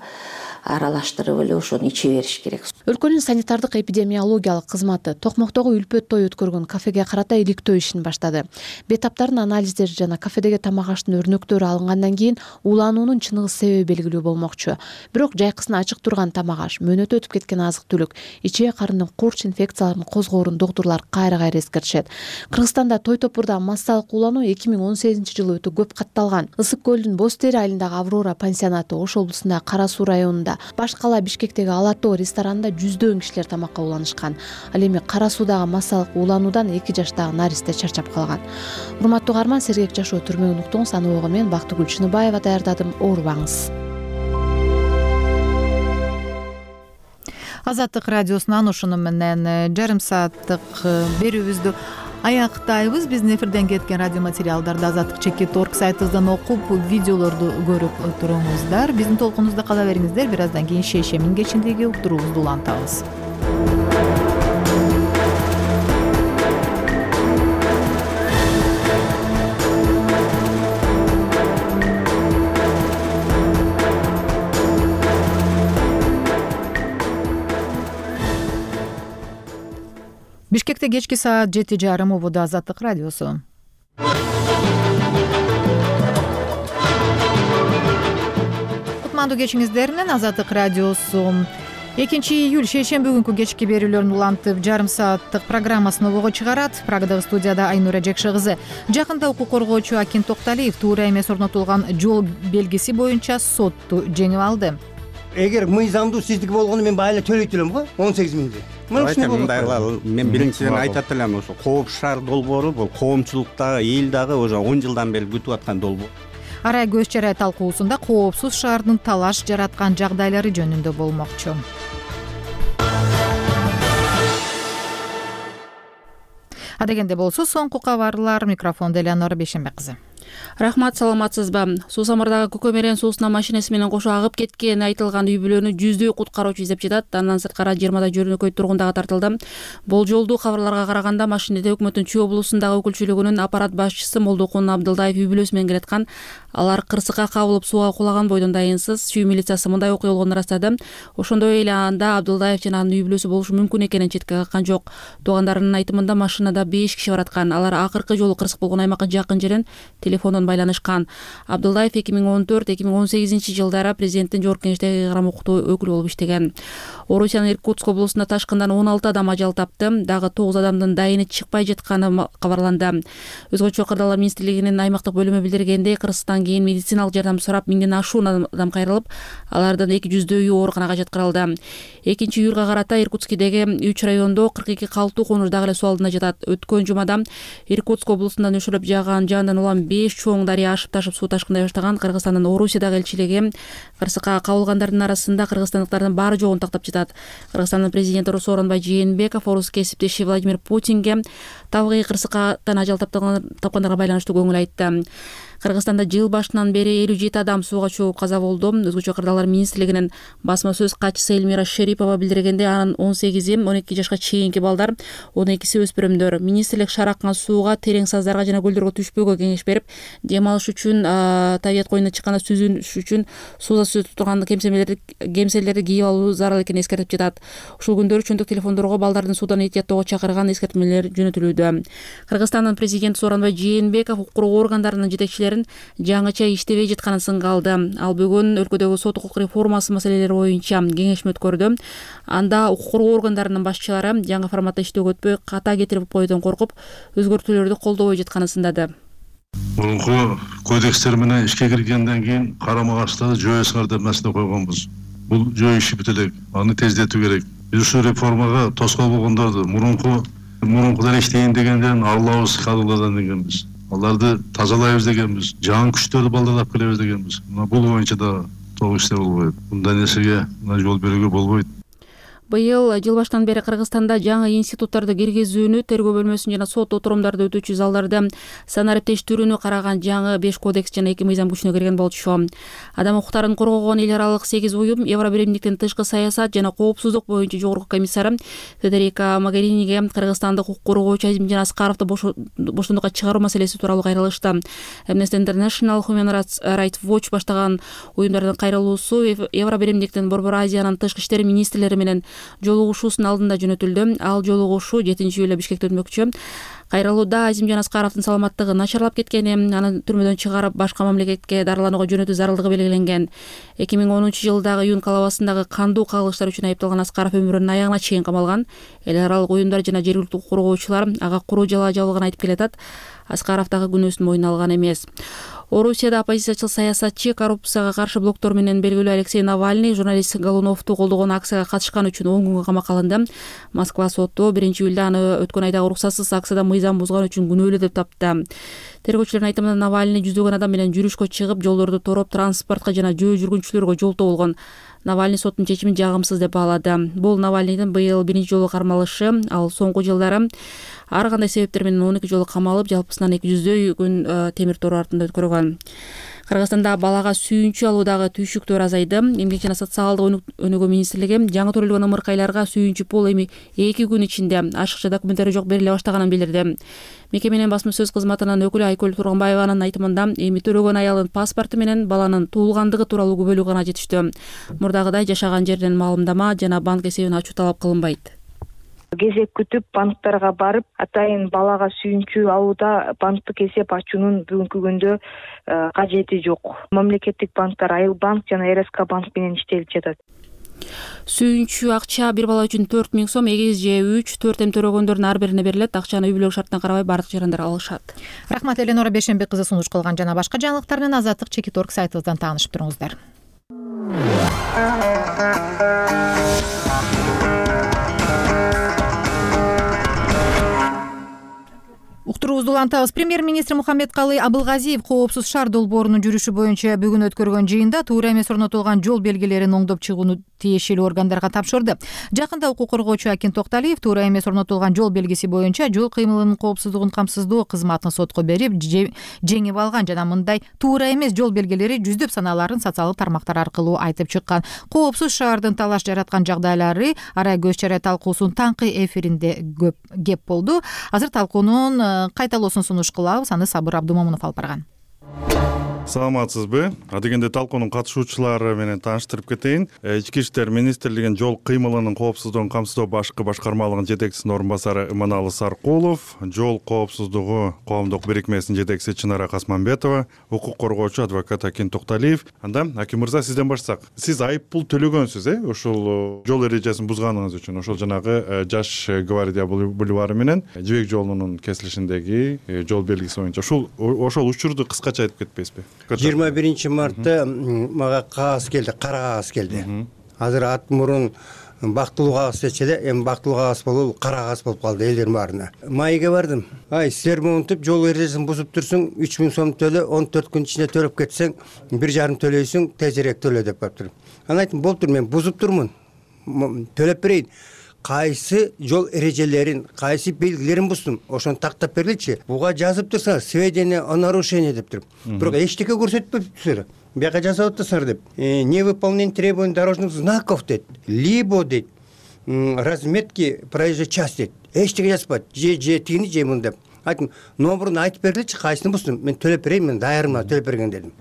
аралаштырып эле ошону иче бериш керек. Өлкөнүн санитардык эпидемиологиялык кызматы Токмоктогу үлпөт той өткөргөн кафеге карата иликтөө ишин баштады. Бейтаптардын анализдери жана кафедеги тамак аштын өрнөктөрү алынгандан кийин улануунун чыныгы себеби белгилүү болмокчу. Бирок жайкысын ачык турган тамак аш, мөөнөтү өтүп кеткен азык-түлүк, ичек карындын курч инфекцияларын козгоорун доктурлар кайра-кайра эскертишет. Кыргызстанда той топурда массалык улануу эки миң он сегизинчи жылы өтө көп катталган. Ысык көлдүн Боз Тери айылындагы Аврора пансионаты, Ош облусундагы Кара Суу районунда, баш кала Бишкектеги Ала Тоо ресторанында жүздөгөн кишилер тамакка уланышкан. Ал эми Кара Суудагы массалык улануудан эки жаштагы наристе чарчап калган. Урматтуу угарман, сергек жашоо түрмөгүн уктуңуз. Аны ого мен Бактыгүл Чыныбаева даярдадым. Оорубаңыз. Азаттык радиосунан ушуну менен жарым сааттык берүүбүздү аяктайбыз. Биздин эфирден кеткен радио материалдарды азаттык чекит точка орг сайтыбыздан окуп, видеолорду көрүп туруңуздар. Биздин толкунубузда кала бериңиздер. Бир аздан кийин шейшембин кечиндеги уктуруубузду улантабыз. Бишкекте кечки саат жети жарым убада Азаттык радиосу. Кутмандуу кечиңиздер менен Азаттык радиосу экинчи июль шейшемби күнкү кечки берүүлөрүн улантып, жарым сааттык программасын обого чыгарат. Прагадагы студияда Айнура Жекше кызы. Жакында укук коргоочу Акин Токталиев туура эмес орнотулган жол белгиси боюнча сотту жеңип алды. Эгер мыйзамдуу сиздик болгону мен байла төлөйт элем го он сегиз миңди. Мындай кылалы. Мен биринчиден айтат элем, ошо Кооп шаар долбоору бул коомчулуктагы, эл дагы уже он жылдан бери күтүп аткан долбоор. Арай көз чарай талкуусунда коопсуз шаардын талаш жараткан жагдайлары жөнүндө болмокчу. Адегенде болсо соңку кабарлар. Микрофондо Элеонора Бейшенбек кызы. Рахмат, саламатсызбы? Суу Самырдагы Көкөмерен суусуна машинеси менен кошо агып кеткен айтылган үй бүлөнү жүздөй куткаруучу издеп жатат. Андан сырткары жыйырмада жөнөкөй тургун дагы тартылды. Болжолдуу кабарларга караганда машинеде өкмөттүн Чүй облусундагы өкүлчүлүгүнүн аппарат башчысы Молдокун Абдылдаев үй бүлөсү менен келаткан. Алар кырсыкка кабылып сууга кулаган бойдон дайынсыз. Чүй милициясы мындай окуя болгонун ырастады. Ошондой эле анда Абдылдаев жана анын үй бүлөсү болушу мүмкүн экенин четке каккан жок. Туугандарынын айтымында машинада беш киши бараткан. Алар акыркы жолу кырсык болгон аймакка жакын жерден телефондон байланышкан. Абдылдаев эки миң он төрт эки миң он сегизинчи жылдары президенттин жогорку кеңештеги кайрам укуктуу өкүлү болуп иштеген. Орусиянын Иркутск облусунда ташкындан он алты адам ажал тапты. Дагы тогуз адамдын дайыны чыкпай жатканы кабарланды. Өзгөчө кырдаалар министрлигинин аймактык бөлүмү билдиргендей, кырсыктан кийин медициналык жардам сурап миңден ашуун адам кайрылып, алардын эки жүздөйү ооруканага жаткырылды. экинчи июлга карата Иркутскидеги үч райондо кырк эки калктуу конуш дагы эле суу алдында жатат. Өткөн жумада Иркутск облусунда нөшөлөп жааган жаандан улам беш чоң дарыя ашып ташып суу ташкындай баштаган. Кыргызстандын Орусиядагы элчилиги кырсыкка кабылгандардын арасында кыргызстандыктардын баары жогун тактап жатат. Кыргызстандын президенти Сооронбай Жээнбеков орус кесиптеши Владимир Путинге табигый кырсыктан ажал тапкандарга байланыштуу көңүл айтты. Кыргызстанда жыл башынан бери элүү жети адам сууга чөгүп каза болду. Өзгөчө кырдаалар министрлигинин басма сөз катчысы Эльмира Шерипова билдиргенде, анын он сегизи он эки жашка чейинки балдар, он экиси өспүрүмдөр. Министрлик шаар аккан сууга, терең саздарга жана көлдөргө түшпөөгө кеңеш берип, дем алыш үчүн, табият коюнуна чыкканда сүзүнүш үчүн сууда сүзүп турган кемселерди кемселерди кийип алуу зарыл экенин эскертип жатат. Ушул күндөрү чөнтөк телефондорго балдардын суудан этияттоого чакырган эскертмелер жөнөтүлүүдө. Кыргызстандын президенти Сооронбай Жээнбеков укук органдарынын жетекчилери жаңыча иштебей жатканын сынга алды. Ал бүгүн өлкөдөгү сот укук реформасы маселелери боюнча кеңешме өткөрдү. Анда укук коргоо органдарынын башчылары жаңы форматта иштөөгө өтпөй, ката кетирип коюудан коркуп, өзгөртүүлөрдү колдобой жатканын сындады. Мурунку кодекстер менен ишке киргенден кийин карама каршыларды жоюңар деп маселе койгонбуз. Бул жөө иши бүт элек, аны тездетүү керек. Биз ушул реформага тоскоол болгондорду мурунку мурункудан иштейин дегендерин арылабыз кадрлардан дегенбиз. Аларды тазалайбыз дегенбиз, жаңы күчтөрдү балдарлап келебиз дегенбиз. Мына бул боюнча да толук иштер болбойт. Мындай нерсеге жол берүүгө болбойт. Быйыл жыл башынан бери Кыргызстанда жаңы институттарды киргизүүнү, тергөө бөлмөсүн жана сот отурумдарды өтүүчү залдарды санариптештирүүнү караган жаңы беш кодекс жана эки мыйзам күчүнө кирген болчу. Адам укуктарын коргогон эл аралык сегиз уюм Евробиримдиктин тышкы саясат жана коопсуздук боюнча жогорку комиссары Федерика Могериниге кыргызстандык укук коргоочу Азимжан Аскаровду боштондукка чыгаруу маселеси тууралуу кайрылышты. Amnesty International, Human Rights Watch баштаган уюмдардын кайрылуусу Евробиримдиктин Борбор Азиянын тышкы иштер министрлери менен жолугушуусунун алдында жөнөтүлдү. Ал жолугушуу жетинчи июлда Бишкекте өтмөкчү. Кайрылууда Азимжан Аскаровдун саламаттыгы начарлап кеткени, аны түрмөдөн чыгарып башка мамлекетке дарыланууга жөнөтүү зарылдыгы белгиленген. эки миң онунчу жылдагы июнь калабасындагы кандуу кагылыштар үчүн айыпталган Аскаров өмүрүнүн аягына чейин камалган. Эл аралык уюмдар жана жергиликтүү коргоочулар ага куру жала жабылган айтып келатат. Аскаров дагы күнөөсүн мойнуна алган эмес. Орусияда оппозициячыл саясатчы, коррупцияга каршы блоктор менен белгилүү Алексей Навальный журналист Голуновду колдогон акцияга катышкан үчүн он күнгө камакка алынды. Москва соту биринчи июлда аны өткөн айдагы уруксатсыз акцияда мыйзам бузган үчүн күнөөлүү деп тапты. Тергөөчүлөрдүн айтымында Навальный жүздөгөн адам менен жүрүшкө чыгып, жолдорду тороп, транспортко жана жөө жүргүнчүлөргө жолтоо болгон. Навальный соттун чечимин жагымсыз деп баалады. Бул Навальныйдын быйыл биринчи жолу кармалышы. Ал соңку жылдары ар кандай себептер менен он эки жолу камалып, жалпысынан эки жүздөй күн темир тор артында өткөргөн. Кыргызстанда балага сүйүнчү алуудагы түйшүктөр азайды. Эмгек жана социалдык өнүгүү министрлиги жаңы төрөлгөн ымыркайларга сүйүнчү пул эми эки күн ичинде ашыкча документтери жок бериле баштаганын билдирди. Мекеменин басма сөз кызматынын өкүлү Айкөл Турганбаеванын айтымында, эми төрөгөн аялдын паспорту менен баланын туулгандыгы тууралуу күбөлүү гана жетиштүү. Мурдагыдай жашаган жерден маалымдама жана банк эсебин ачуу талап кылынбайт. Кезек күтүп банктарга барып, атайын балага сүйүнчү алууда банктык эсеп ачуунун бүгүнкү күндө кажети жок. Мамлекеттик банктар Айыл банк жана эр эс ка банк менен иштелип жатат. Сүйүнчү акча бир бала үчүн төрт миң сом, эгиз же үч, төрт эм төрөгөндөрдүн ар бирине берилет. Акчаны үй бүлөлүк шартына карабай бардык жарандар алышат. Рахмат, Эленора Бешенбек кызы сунуш кылган. Жана башка жаңылыктар менен Азаттык чекит точка орг сайтыбыздан таанышып туруңуздар. Уктуруубузду улантабыз. Премьер-министр Мухаммедкалый Абылгазиев коопсуз шаар долбоорунун жүрүшү боюнча бүгүн өткөргөн жыйында туура эмес орнотулган жол белгилерин оңдоп чыгууну тиешелүү органдарга тапшырды. Жакында укук коргоочу Акин Токталиев туура эмес орнотулган жол белгиси боюнча жол кыймылынын коопсуздугун камсыздоо кызматын сотко берип жеңип алган жана мындай туура эмес жол белгилери жүздөп саналарын социалдык тармактар аркылуу айтып чыккан. Коопсуз шаардын талаш жараткан жагдайлары арай көз чарай талкуусунун таңкы эфиринде көп кеп болду. Азыр талкуунун кайталоосун сунуш кылабыз. Аны Сабыр Абдумомунов алып барган. Саламатсызбы? Адегенде талкуунун катышуучулары менен тааныштырып кетейин. Ички иштер министрлигинин жол кыймылынын коопсуздугун камсыздоо башкы башкармалыгынын жетекчисинин орун басары Иманалы Саркулов, жол коопсуздугу коомдук бирикмесинин жетекчиси Чынара Касманбетова, укук коргоочу адвокат Акин Токталиев. Анда Акин мырза, сизден баштасак. Сиз айып пул төлөгөнсүз, э? Ошол жол эрежесин бузганыңыз үчүн, ошол жанагы Жаш Гвардия бульвары менен Жибек жолунун кесилишиндеги жол белгиси боюнча. Ошол ошол учурду кыскача айтып кетпейсизби? жыйырма биринчи мартта мага кагаз келди, кара кагаз келди. Азыр ат мурун бактылуу кагаз дечи эле, эми бактылуу кагаз болуп, кара кагаз болуп калды элдердин баарына. Майга бардым. Ай, силер монтип жол эрежесин бузуп турсуң, үч миң сом төлө, он төрт күн ичинде төлөп кетсең, бир жарым төлөйсүң, тезирээк төлө деп калыптыр. Анан айттым, болуптур, мен бузуп турмун. Төлөп берейин. Кайсы жол эрежелерин, кайсы белгилерин буздум, ошону тактап бергилчи. Буга жазып турса, сведения о нарушении деп туруп. Бирок эчтеке көрсөтпөптүр. Бияка жасап атасыңар деп. Невыполнение требований дорожных знаков дейт. Либо дейт, разметки проезжей части дейт. Эчтеке жазбайт. Же же тигини же муну деп. Айттым, номерун айтып бергилчи, кайсыны буздум. Мен төлөп берейин, мен даярмын, төлөп берген дедим.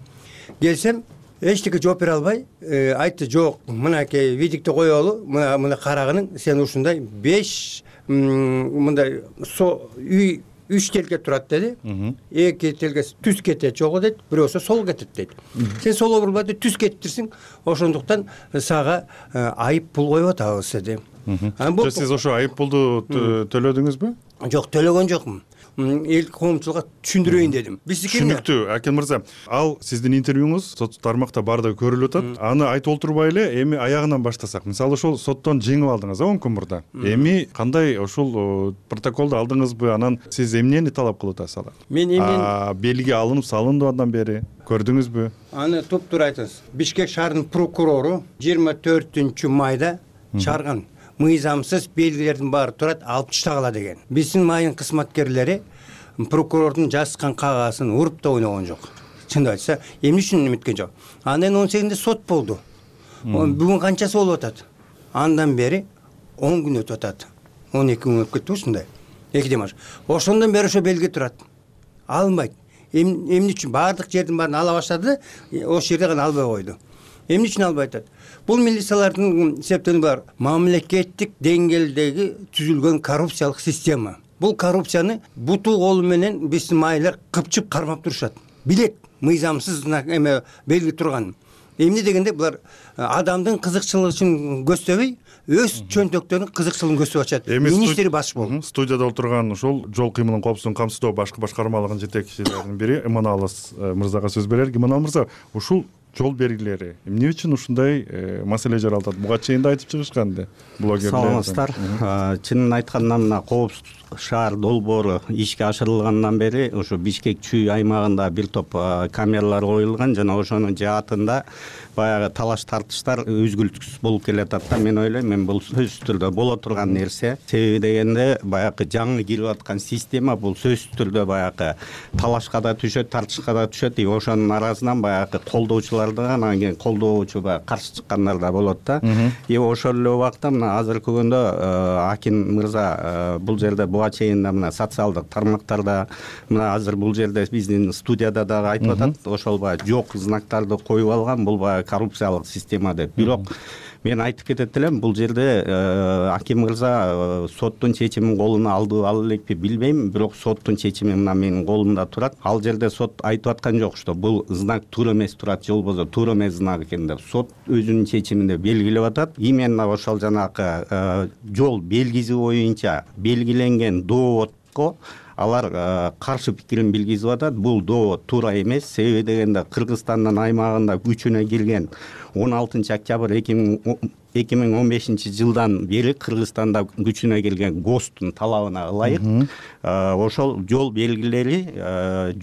Келсем, эчтеке жооп бере албай, айтты, жок, мынакей видикти коелу, мына мына карагының, сен ушундай беш мындай үй үч телге турат деди. Эки телге түз кетет жогу дейт, бирөөсү сол кетет дейт. Сен сол бурбай түз кетиптирсиң, ошондуктан сага айып пул коюп атабыз деди. Сиз ошо айып пулду төлөдүңүзбү? Жок, төлөгөн жокмун. Эл коомчулукка түшүндүрөйүн дедим. Түшүнүктүү, Акин мырза. Ал сиздин интервьюңуз сот тармакта баардыгы көрүлүп атат. Аны айтып олтурбай эле эми аягынан баштасак. Мисалы ошол соттон жеңип алдыңыз, он күн мурда. Эми кандай ошол протоколду алдыңызбы? Анан сиз эмнени талап кылып атасыз алар? Мен эмнени белги алынып салынды андан бери көрдүңүзбү? Аны туп-туура айтыңыз. Бишкек шаарынын прокурору жыйырма төртүнчү майда чыгарган. Мыйзамсыз белгилердин баары турат, алып таштагыла деген. Биздин майын кызматкерлери прокурордун жазган кагазын уруп да ойногон жок. Чындап айтса, эмне үчүн эметкен жок. Андан он сегизинде сот болду. Бүгүн канчасы болуп атат? Андан бери он күн өтүп атат. он эки күн өтүп кетти ушундай. Экиден баш. Ошондон бери ошо белги турат. Алынбайт. Эмне үчүн баардык жердин баарын ала баштады, ошол жерде гана албай койду. Эмне үчүн албай атат? Бул милициялардын себептери бар. Мамлекеттик деңгээлдеги түзүлгөн коррупциялык система. Бул коррупцияны буту колу менен биздин майылар кыпчып кармап турушат. Билет, мыйзамсыз эме белги турган. Эмне дегенде булар адамдын кызыкчылыгы үчүн көздөбөй, өз чөнтөктөрүнүн кызыкчылыгын көздөп ачат. Министри баш болду. Студияда отурган ушул жол кыймылынын коопсуздугун камсыздоо башкы башкармалыгынын жетекчилеринин бири Иманалы мырзага сөз берелик. Иманалы мырза, ушул жол белгилери эмне үчүн ушундай маселе жаралат? Буга чейин да айтып чыгышкан да блогерлер. Саламатсыздар. Чынын айтканда мына коопсуз шаар долбоору ишке ашырылгандан бери ошо Бишкек Чүй аймагында бир топ камералар коюлган жана ошонун жаатында баягы талаш тартыштар үзгүлтүксүз болуп келатат да. Мен ойлойм, мен бул сөзсүз түрдө боло турган нерсе. Себеби дегенде баягы жаңы кирип аткан система бул сөзсүз түрдө баягы талашка да түшөт, тартышка да түшөт. И ошонун арасынан баягы колдоочулар да, анан кийин колдоочу баягы каршы чыккандар да болот да. И ошол эле убакта мына азыркы күндө Аким мырза бул жерде буга чейин мына социалдык тармактарда мына азыр бул жерде биздин студияда дагы айтып атат. Ошол баягы жок знактарды коюп алган, бул баягы коррупциялык система деп. Бирок мен айтып кетет элем, бул жерде Аким мырза соттун чечимин колуна алды ала элекпи билбейм, бирок соттун чечими мына менин колумда турат. Ал жерде сот айтып аткан жок, что бул знак туура эмес турат, же болбосо туура эмес знак экен деп. Сот өзүнүн чечиминде белгилеп атат. Именно ошол жанагы жол белгиси боюнча белгиленген доводко алар каршы пикирин билгизип атат. Бул довод туура эмес. Себеби дегенде Кыргызстандын аймагында күчүнө кирген он алтынчы октябрь эки миң он бешинчи жылдан бери Кыргызстанда күчүнө кирген ГОСТтун талабына ылайык ошол жол белгилери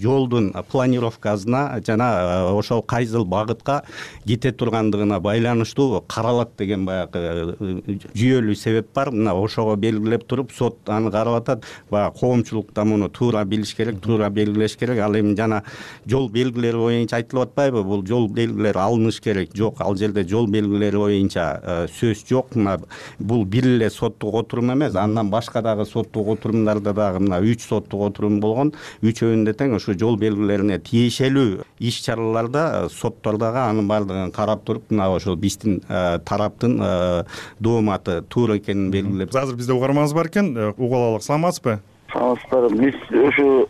жолдун планировкасына жана ошол кайсыл багытка кете тургандыгына байланыштуу каралат деген баягы жүйөлүү себеп бар. Мына ошого белгилеп туруп сот аны карап атат. Баягы коомчулукта муну туура билиш керек, туура белгилеш керек. Ал эми жана жол белгилери боюнча айтылып атпайбы? Бул жол белгилери алыныш керек. Жок, ал жерде жол белгилери боюнча сөз жок. Мына бул бир эле соттук отурум эмес, андан башка дагы соттук отурумдарда дагы мына үч соттук отурум болгон. Үчөөндө тең ушу жол белгилерине тиешелүү иш чараларда соттор дагы анын баардыгын карап туруп, мына ошол биздин тараптын дооматы туура экенин белгилеп. Азыр бизде угарманыбыз бар экен, угуп алалык. Саламатсызбы? Саламатсыздар. Биз ушу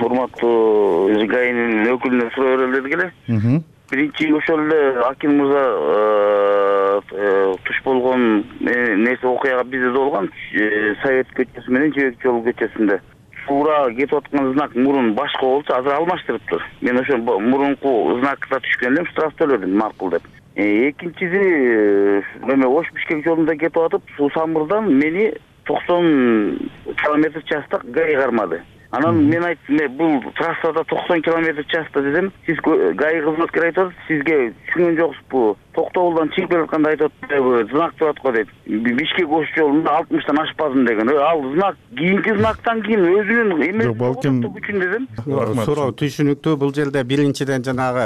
урматтуу ГАИнин өкүлүнө суроо берели дедик эле. Биринчи ошол эле Аким мырза туш болгон нерсе окуяга бизде да болгон. Совет көчөсү менен Жэбек жолу көчөсүндө туура кетип аткан знак мурун башка болчу, азыр алмаштырыптыр. Мен ошо мурунку знакка түшкөн элем, штраф төлөдүм макул деп. Экинчиси эме Ош Бишкек жолунда кетип атып, Суу Самырдан мени токсон километр часта ГАИ кармады. Анан мен айттым, бул трассада токсон километр часта десем, сиз ГАИ кызматкери айтат, сизге түшүнгөн жоксузбу? Токтогулдан чыгып келатканда айтат, знак турат го дейт. Бишкек Ош жолунда алтымыштан ашпадым деген. Ал знак кийинки знактан кийин өзүнүн эмес үчүн десем. Суроо түшүнүктүү. Бул жерде биринчиден жанагы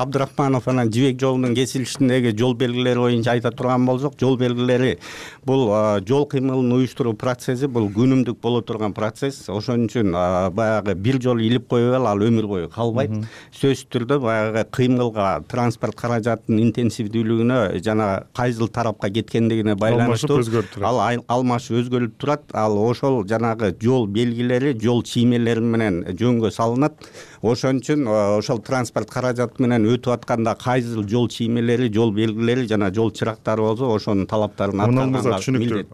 Абдрахманов анан Жибек жолунун кесилишиндеги жол белгилери боюнча айта турган болсок, жол белгилери бул жол кыймылын уюштуруу процесси, бул күнүмдүк боло турган процесс. Ошон үчүн баягы бир жолу илип коюп ал өмүр бою калбайт. Сөзсүз түрдө баягы кыймылга, транспорт каражатынын интенсивдүүлүгүнө жана кайсыл тарапка кеткендигине байланыштуу ал алмашып өзгөрүп турат. Ал ошол жанагы жол белгилери, жол чиймелери менен жөнгө салынат. Ошон үчүн ошол транспорт каражаты менен өтүп атканда кайсыл жол чиймелери, жол белгилери жана жол чырактары болсо, ошонун талаптарын аткарганга түшүнүктүү.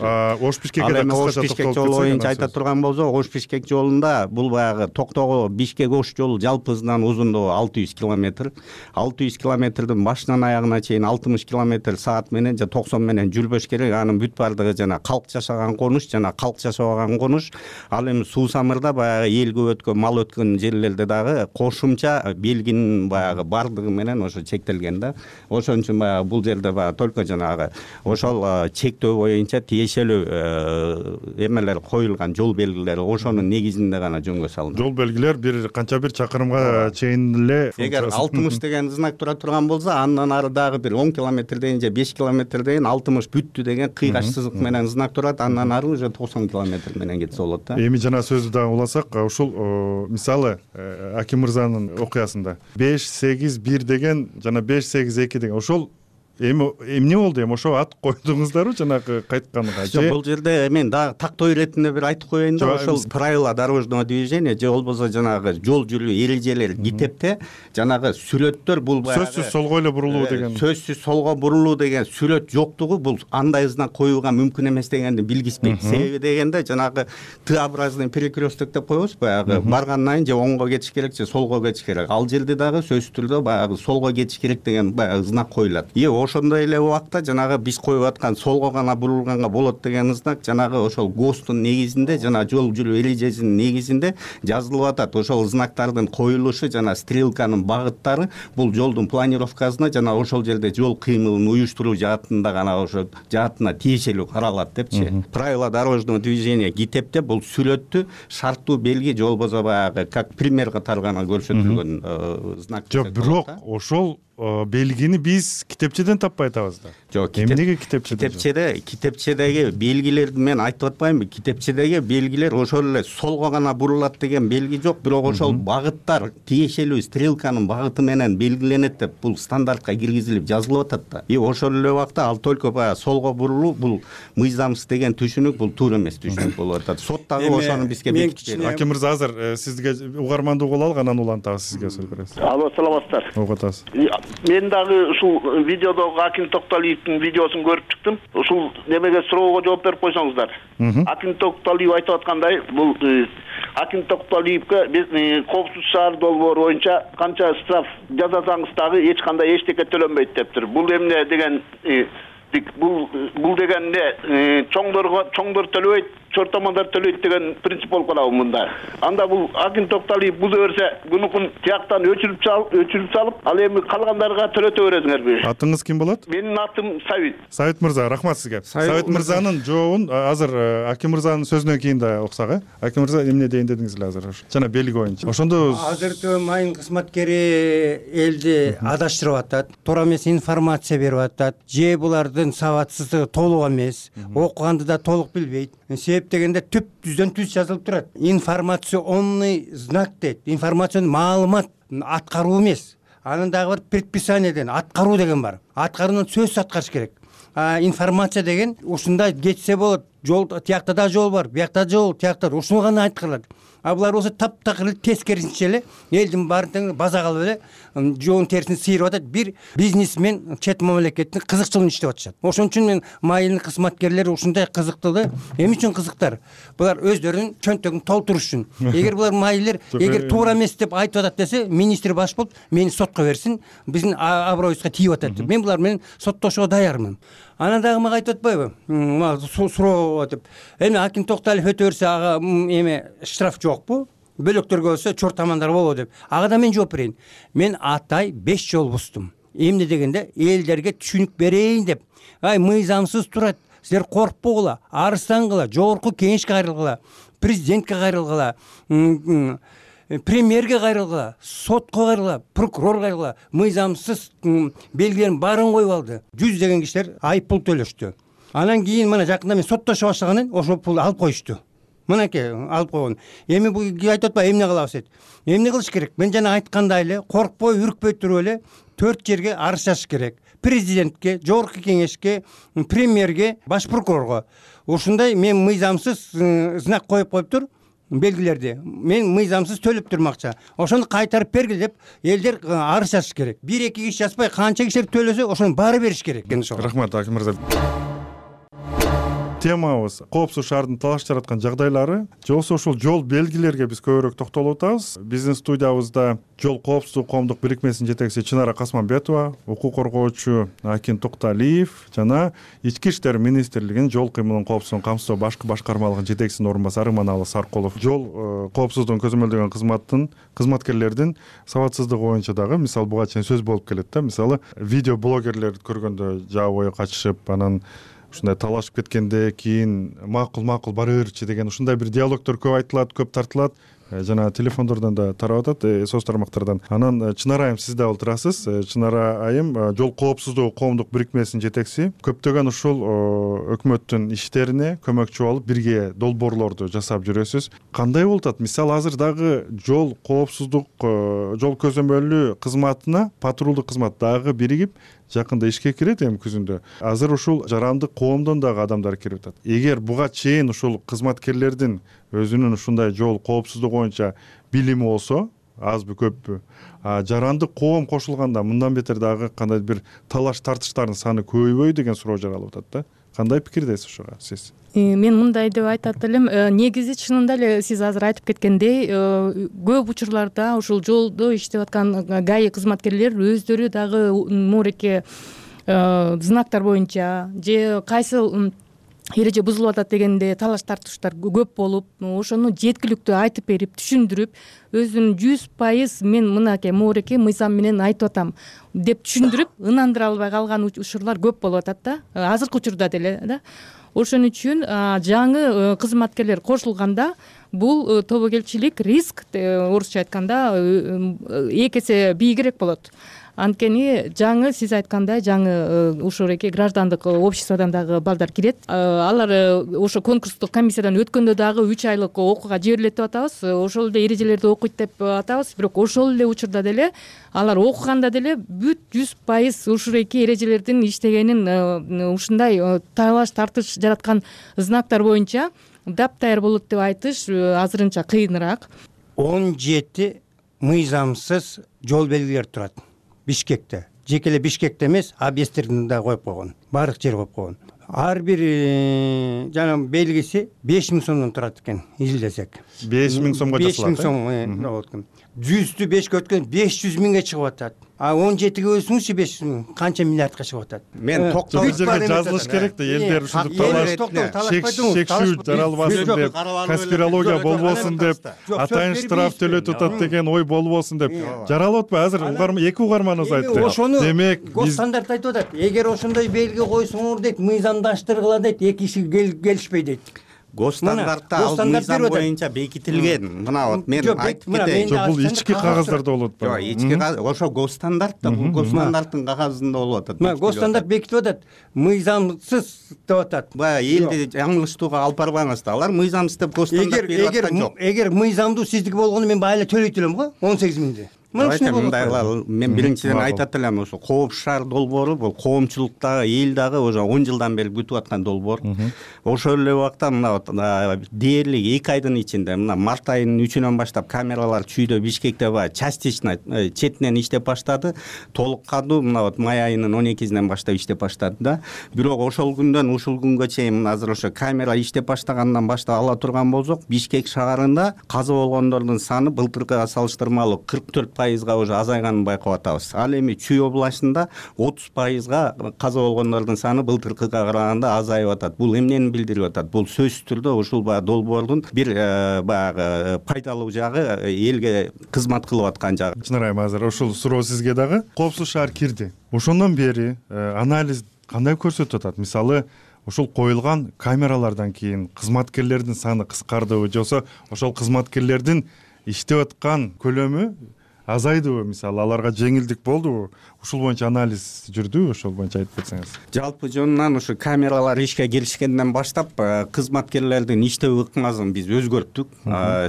Ош Бишкекке Ош Бишкек жолу боюнча айта турган болсок, Ош Бишкек жолунда бул баягы Токтого Бишкек Ош жолу жалпысынан узундугу алты жүз километр. алты жүз километрдин башынан аягына чейин алтымыш километр саат менен же токсон менен жүрбөш керек. Анын бүт бардыгы жана калк жашаган конуш жана калк жашабаган конуш. Ал эми Суу Самырда баягы эл көп өткөн, мал өткөн жерлерде дагы кошумча белгинин баягы бардыгы менен ошо чектелген да. Ошон үчүн баягы бул жерде баягы только жанагы ошол чектөө боюнча тиешелүү эмелер коюлган, жол белгилери ошонун негизинде гана жөнгө салынат. Жол белгилер бир канча бир чакырымга чейин эле. Эгер алтымыш деген знак тура турган болсо, андан ары дагы бир он километрден же беш километрден алтымыш бүттү деген кыйгач сызык менен знак турат. Андан ары уже токсон километр менен кетсе болот да. Эми жана сөздү дагы уласак, ушул мисалы Аким мырзанын окуясында беш сегиз бир деген жана беш сегиз эки деген ошол эми эмне болду, эми ошо ат койдуңуздарбы жанагы кайтканга же? Жок, бул жерде мен дагы тактоо иретинде бир айтып коеюн да, ошол правила дорожного движения же болбосо жанагы жол жүрүү эрежелери китепте жанагы сүрөттөр бул баягы сөзсүз солго эле бурулуу деген, сөзсүз солго бурулуу деген сүрөт жоктугу бул андай знак коюуга мүмкүн эмес дегенди билгизбейт. Себеби дегенде жанагы Т-образный перекресток деп коебуз, баягы баргандан кийин же оңго кетиш керек же солго кетиш керек. Ал жерде дагы сөзсүз түрдө баягы солго кетиш керек деген баягы знак коюлат. И ошондой эле убакта жанагы биз коюп аткан солго гана бурулганга болот деген знак жанагы ошол ГОСТун негизинде, жана жол жүрүү эрежесинин негизинде жазылып атат. Ошол знактардын коюлушу жана стрелканын багыттары бул жолдун планировкасына жана ошол жерде жол кыймылын уюштуруу жаатында гана ошо жаатына тиешелүү каралат депчи. Правила дорожного движения китепте бул сүрөттү шарттуу белги же болбосо баягы как пример катары гана көрсөтүлгөн знак. Жок, бирок ошол белгини биз китепчеден таппай атабыз да. Жок, эмнеге китепчеде? Китепчеде, китепчедеги белгилерди мен айтып атпаймынбы? Китепчедеги белгилер ошол эле солго гана бурулат деген белги жок, бирок ошол багыттар тиешелүү стрелканын багыты менен белгиленет деп бул стандартка киргизилип жазылып атат да. И ошол эле убакта ал только баягы солго бурулуу бул мыйзамсыз деген түшүнүк, бул туура эмес түшүнүк болуп атат. Сот дагы ошону бизге бекитти. Аким мырза, азыр сизге угармандуу боло алып, анан улантабыз сизге сөз беребиз. Алло, саламатсыздар. Ого, атасыз. Мен дагы ушул видеодогу Аким Токталиевдин видеосун көрүп чыктым. Ушул немеге суроого жооп берип койсоңуздар. Аким Токталиев айтып аткандай, бул Аким Токталиевге биз коопсуз шаар долбоору боюнча канча штраф жазасаңыз дагы эч кандай эчтеке төлөнбөйт дептир. Бул эмне деген бул бул деген эмне чоңдорго чоңдор төлөбөйт, чортомондар төлөйт деген принцип болуп калабы мында. Анда бул Аким Токталиев буза берсе, бунукун тияктан өчүрүп салып, өчүрүп салып, ал эми калгандарга төлөтө бересиңерби? Атыңыз ким болот? Менин атым Сабит. Сабит мырза, рахмат сизге. Сабит мырзанын жообун азыр Аким мырзанын сөзүнөн кийин да уксак, э? Аким мырза эмне дейин дедиңиз эле азыр? Жана белги боюнча. Ошондо азыркы майын кызматкери элди адаштырып атат, туура эмес информация берип атат, же булардын сабатсыздыгы толук эмес, окуганды да толук билбейт. Себеп дегенде түп түздөн түз жазылып турат. Информационный знак дейт. Информационный маалымат аткаруу эмес. Анын дагы бир предписание деген аткаруу деген бар. Аткарууну сөзсүз аткарыш керек. А информация деген ушундай кетсе болот. Жол тиякта да жол бар, биякта жол, тиякта ушуну гана айткырылат. А булар болсо таптакыр тескерисинче эле элдин баарын база кылып эле жоонун терисин сыйрып атат. Бир бизнесмен чет мамлекеттин кызыкчылыгын иштеп атышат. Ошон үчүн мен майылдын кызматкерлери ушундай кызыктылы. Эмне үчүн кызыктар? Булар өздөрүнүн чөнтөгүн толтуруш үчүн. Эгер булар майылдар эгер туура эмес деп айтып атат десе, министр баш болуп мени сотко берсин, биздин аброюбузга тийип атат деп. Мен булар менен соттошууга даярмын. Анан дагы мага айтып атпайбы? Суроо деп. Эми Аким Токталиев өтө берсе ага эме штраф жокпу? Бөлөктөргө болсо чортомондар болобу деп. Ага да мен жооп берейин. Мен атай беш жол буздум. Эмне дегенде элдерге түшүнүк берейин деп. Ай мыйзамсыз турат. Силер коркпогула, арыстангыла, жогорку кеңешке кайрылгыла, президентке кайрылгыла, премьерге кайрылгыла, сотко кайрылгыла, прокурор кайрылгыла, мыйзамсыз белгилерин баарын коюп алды. Жүздөгөн кишилер айып пул төлөштү. Анан кийин мына жакында мен соттошо башлаганын ошол пулду алып коюшту. Мынакей алып койгон. Эми бул айтып атпайбы эмне кылабыз дейт. Эмне кылыш керек? Мен жана айткандай эле коркпой, үркпөй туруп эле төрт жерге арыз жазыш керек. Президентке, жогорку кеңешке, премьерге, баш прокурорго. Ушундай мен мыйзамсыз знак коюп коюптур. Белгилерди мен мыйзамсыз төлөп турмун акча. Ошону кайтарып бергиле деп элдер арыз жазыш керек. Бир эки киши жазбай, канча кишилер төлөсө, ошону баары бериш керек. Рахмат, Аким мырза. Темабыз коопсуз шаардын талаш жараткан жагдайлары. Жолсо ушул жол белгилерге биз көбүрөөк токтолуп атабыз. Биздин студиябызда жол коопсуздук коомдук бирикмесинин жетекчиси Чынара Касманбетова, укук коргоочу Аким Токталиев жана Ички иштер министрлигинин жол кыймылын коопсуздугун камсыздоо башкы башкармалыгынын жетекчисинин орун басары Иманалы Саркулов. Жол коопсуздугун көзөмөлдөгөн кызматтын кызматкерлердин сабатсыздыгы боюнча дагы мисалы буга чейин сөз болуп келет да. Мисалы видео блогерлерди көргөндө жаа бою качышып, анан ушундай талашып кеткенде кийин макул макул бара берчи деген ушундай бир диалогдор көп айтылат, көп тартылат. жана телефондордон да тарап атат, соц тармактардан. Анан Чынара айым сиз дагы отурасыз. Чынара айым жол коопсуздугу коомдук бирикмесинин жетекчиси. Көптөгөн ушул өкмөттүн иштерине көмөкчү болуп бирге долбоорлорду жасап жүрөсүз. Кандай болуп атат? Мисалы азыр дагы жол коопсуздук жол көзөмөлү кызматына патрулдук кызмат дагы биригип жакында ишке кирет эми күзүндө. Азыр ушул жарандык коомдон дагы адамдар кирип атат. Эгер буга чейин ушул кызматкерлердин өзүнүн ушундай жол коопсуздугу боюнча билими болсо, азбы көппү, жарандык коом кошулганда мындан бетер дагы кандайдыр бир талаш тартыштардын саны көбөйбөйбү деген суроо жаралып атат да. Кандай пикирдесиз ушуга сиз? Мен мындай деп айтат элем, негизи чынында эле сиз азыр айтып кеткендей, көп учурларда ушул жолдо иштеп аткан ГАИ кызматкерлер өздөрү дагы мууреке знактар боюнча же кайсы эреже бузулуп атат дегенде талаш тартыштар көп болуп, ошону жеткиликтүү айтып берип, түшүндүрүп, өзүн жүз пайыз мен мынакей мууреке мыйзам менен айтып атам деп түшүндүрүп, ынандыра албай калган учурлар көп болуп атат да, азыркы учурда деле да. Ошон үчүн жаңы кызматкерлер кошулганда бул тобокелчилик риск, орусча айтканда, эки эсе бийигирээк болот. Анткени жаңы сиз айткандай жаңы ушуреке граждандык обществодон дагы балдар кирет. Алар ошо конкурстук комиссиядан өткөндө дагы үч айлык окууга жиберилет деп атабыз. Ошол эле эрежелерди окуйт деп атабыз. Бирок ошол эле учурда деле алар окуганда деле бүт жүз пайыз ушуреке эрежелердин иштегенин, ушундай талаш тартыш жараткан знактар боюнча даптайыр болот деп айтыш азырынча кыйыныраак. он жети мыйзамсыз жол белгилер турат Бишкекте. Жеке эле Бишкекте эмес, объекттерин да коюп койгон. Баардык жер коюп койгон. Ар бир жана белгиси беш миң сомдон турат экен, изилдесек. беш миң сомго жасалат. беш миң сом болот экен. жүздү бешке өткөн беш жүз миңге чыгып атат. А он жетиге бөлсөңүзчү беш жүз миң канча миллиардка чыгып атат. Мен токтоо бул жерге жазылыш керек да, элдер ушинтип талаш шекшүү жаралбасын деп, конспирология болбосун деп, атайын штраф төлөтүп атат деген ой болбосун деп. Жаралып атпайбы? Азыр эки угарманыбыз айтты. Ошону демек госстандарт айтып атат. Эгер ошондой белги койсоңор дейт, мыйзамдаштыргыла дейт, эки киши келишпей дейт. Госстандартта ал мыйзам боюнча бекитилген. Мына вот мен айтып кетейин. Жок, бул ички кагаздарда болот. Жок, ички ошо госстандартта, бул госстандартын кагазында болуп атат. Мына госстандарт бекитип атат. Мыйзамсыз деп атат. Баягы элди жаңылыштууга алып барбаңыз да. Алар мыйзамсыз деп госстандарт берип аткан жок. Эгер мыйзамдуу сиздики болгону мен байла төлөйт элем го, он сегиз миңди. Мындай мен биринчиден айтат элем, ошо Коопсуз шаар долбоору бул коомчулуктагы эл дагы уже он жылдан бери күтүп аткан долбоор. Ошол эле убакта мына дээрлик эки айдын ичинде мына март айынын үчүнөн баштап камералар чүйдө Бишкекте баягы частично четинен иштеп баштады. Толук кандуу мына вот май айынын он экисинен баштап иштеп баштады да. Бирок ошол күндөн ушул күнгө чейин мына азыр ошо камера иштеп баштагандан баштап ала турган болсок, Бишкек шаарында каза болгондордун саны былтыркыга салыштырмалуу кырк төрт пайызга уже азайганын байкап атабыз. Ал эми Чүй областында отуз пайызга каза болгондордун саны былтыркыга караганда азайып атат. Бул эмнени билдирип атат? Бул сөзсүз түрдө ушул баягы долбоордун бир баягы пайдалуу жагы, элге кызмат кылып аткан жагы. Чынар айым, азыр ушул суроо сизге дагы. Коопсуз шаар кирди. Ошондон бери анализ кандай көрсөтүп атат? Мисалы, ушул коюлган камералардан кийин кызматкерлердин саны кыскардыбы, жоксо ошол кызматкерлердин иштеп аткан көлөмү азайдыбы? Мисалы, аларга жеңилдик болдубу? Ушул боюнча анализ жүрдүбү? Ошол боюнча айтып кетсеңиз. Жалпы жөнүнөн ушу камералар ишке киришкенден баштап кызматкерлердин иштөө ыкмасын биз өзгөрттүк.